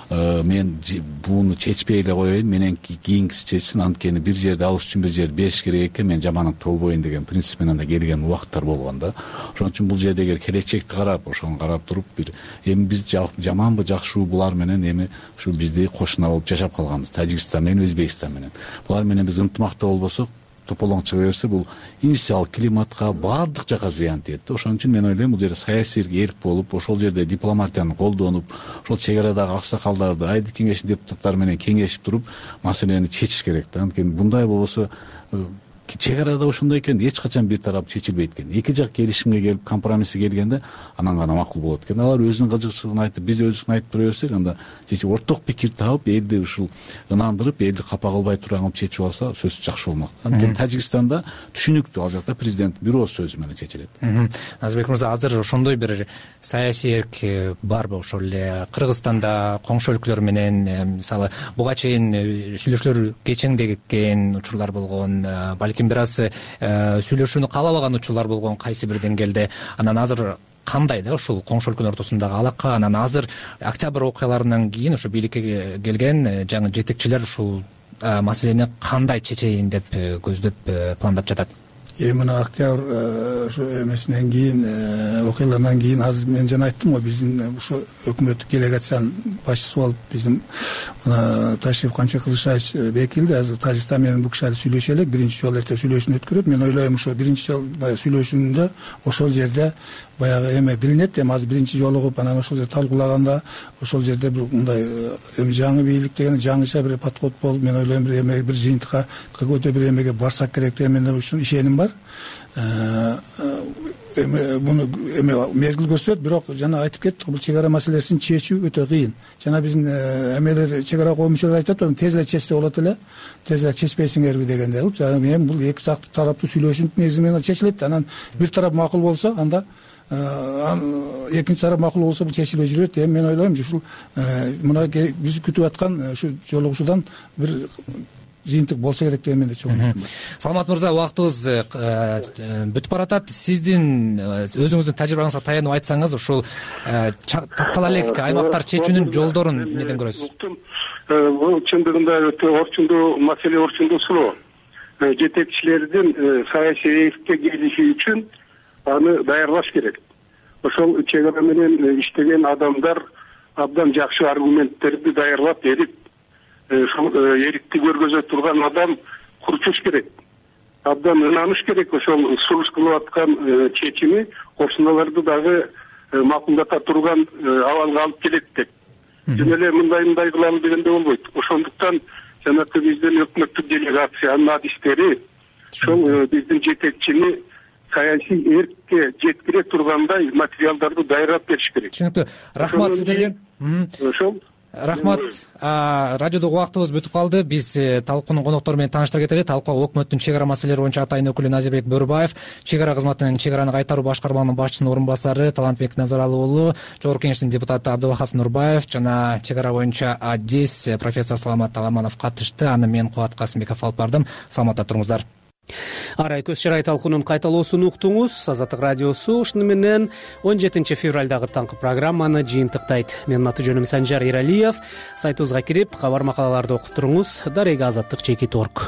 мен буну чечпей эле коеюн, менен кийинкиси чечсин, анткени бир жерди алыш үчүн бир жерди бериш керек экен, мен жаманат толбойн деген принцип менен да келген убакыттар болгон да. Ошон үчүн бул жерде эгер келечекти карап, ошону карап туруп бир эми биз жаманбы жакшыбы булар менен эми ушу бизди кошуна болуп жашап калганбыз, Тажикстан менен Өзбекстан менен. Булар менен биз ынтымакта болбосок, тополоң чыга берсе, бул инвестициялык климатка баардык жака зыян тиет. Ошон үчүн мен ойлойм, бул жерде саясий эрк болуп, ошол жерде дипломатияны колдонуп, ошол чек арадагы аксакалдарды, айдык кеңештин депутаттары менен кеңешип туруп, маселени чечиш керек да. Анткени мындай болбосо чек арада ошондой экен, эч качан бир тарап чечилбейт экен. Эки жак келишимге келип, компромисске келгенде анан гана макул болот экен. Алар өзүнүн кызыкчылыгын айтып, биз өзүбүздүн айтып тура берсек, анда чечип орток пикир таап, элди ушул ынандырып, элди капа кылбай турган чечип алса, сөзсүз жакшы болмок. Анткени Тажикстанда түшүнүктүү, ал жакта президент бир ооз сөзү менен чечилет. Назарбек мырза, азыр ошондой бир саясий эрк барбы? Ошол эле Кыргызстанда коңшу өлкөлөр менен мисалы буга чейин сүйлөшүүлөр кечеңдеген учурлар болгон, балким бир аз сүйлөшүүнү каалабаган учурлар болгон кайсы бир деңгээлде. Анан азыр кандай да ушул коңшу өлкөнүн ортосундагы алака? Анан азыр октябрь окуяларынан кийин ушу бийликке келген жаңы жетекчилер ушул маселени кандай чечейин деп көздөп пландап жатат? Мына октябрь ошо эмесинен кийин, окуялардан кийин, азыр мен жана айттым го, биздин ошо өкмөттүк делегациянын башчысы болуп биздин мына Ташриф Кылышбаев бекилди. Азыр Тажикстан менен бул киши сүйлөшө элек, биринчи жолу эртең сүйлөшүүнү өткөрөт. Мен ойлойм, ошо биринчи жолу сүйлөшүүндө ошол жерде баягы эме билинет. Эми азыр биринчи жолу кылып, анан ошол жерде талкуулаганда ошол жерде бир мындай эми жаңы бийлик деген жаңыча бир подход болуп, мен ойлойм бир эме бир жыйынтыкка какой-то бир эмеге барсак керек деген менен ушул ишеним бар. Буну эме мезгил көрсөтөт, бирок жана айтып кеттик, бул чек ара маселесин чечүү өтө кыйын. Жана биздин эмелер чек ара коомчулар айтат, тез эле чечсе болот эле, тез эле чечпейсиңерби дегенде. Эми бул эки тараптуу сүйлөшүүнүн негизи менен чечилет. Анан бир тарап макул болсо, анда экинчи тарап макул болсо бул чечилбей жүрөт. Эми мен ойлойм, ушул мына биз күтүп аткан ушу жолугушуудан бир жыйынтык болсо керек деген менде чоң. Саламат мырза, убактыбыз бүтүп баратат. Сиздин өзүңүздүн тажрыйбаңызга таянып айтсаңыз, ушул тактала элек аймактар чечүүнүн жолдорун эмнеден көрөсүз? Бул чындыгында өтө орчундуу маселе, орчундуу суроо. Жетекчилердин саясий эркке келиши үчүн аны даярдаш керек. Ошол чек ара менен иштеген адамдар абдан жакшы аргументтерди даярдап берип, эрикти көргөзө турган адам курчуш керек. Абдан ынаныш керек ошол сулуш кылып аткан чечими кошуналарды дагы макулдата турган абалга алып келет деп. Жөн эле мындай кылалы дегенде болбойт. Ошондуктан жанакы биздин өкмөттүк делегациянын адистери ошол биздин жетекчини саясий эркке жеткире тургандай материалдарды даярдап бериш керек. Түшүнүктүү. Рахмат сиздерге. Ошол. Рахмат. Радиодогу убактыбыз бүтүп калды. Биз талкуунун коноктору менен тааныштыра кетели. Талкууга өкмөттүн чек ара маселелери боюнча атайын өкүлү Назирбек Бөрүбаев, чек ара кызматынын чек араны кайтаруу башкармалыгынын башчысынын орун басары Талантбек Назаралы уулу, Жогорку Кеңештин депутаты Абдывахап Нурбаев жана чек ара боюнча адис профессор Саламат Таламанов катышты. Аны мен Кубат Касымбеков алып бардым. Саламатта туруңуздар. Арай көз чырай талкуунун кайталоосун уктуңуз. Азаттык радиосу ушуну менен 17 февралдагы таңкы программаны жыйынтыктайт. Менин аты жөнүм Санжар Иралиев. Сайтыбызга кирип, кабар макалаларды окуп туруңуз. Дарега Азаттык.org.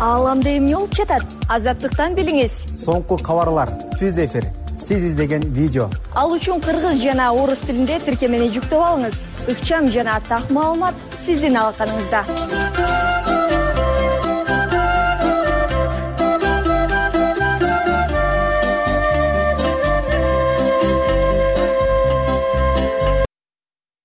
Ааламда эмне болуп жатат? Азаттыктан билиңиз. Соңку кабарлар, түз эфир, сиз издеген видео. Ал үчүн кыргыз жана орус тилинде тиркемени жүктөп алыңыз. Ыкчам жана так маалымат сиздин алаканыңызда.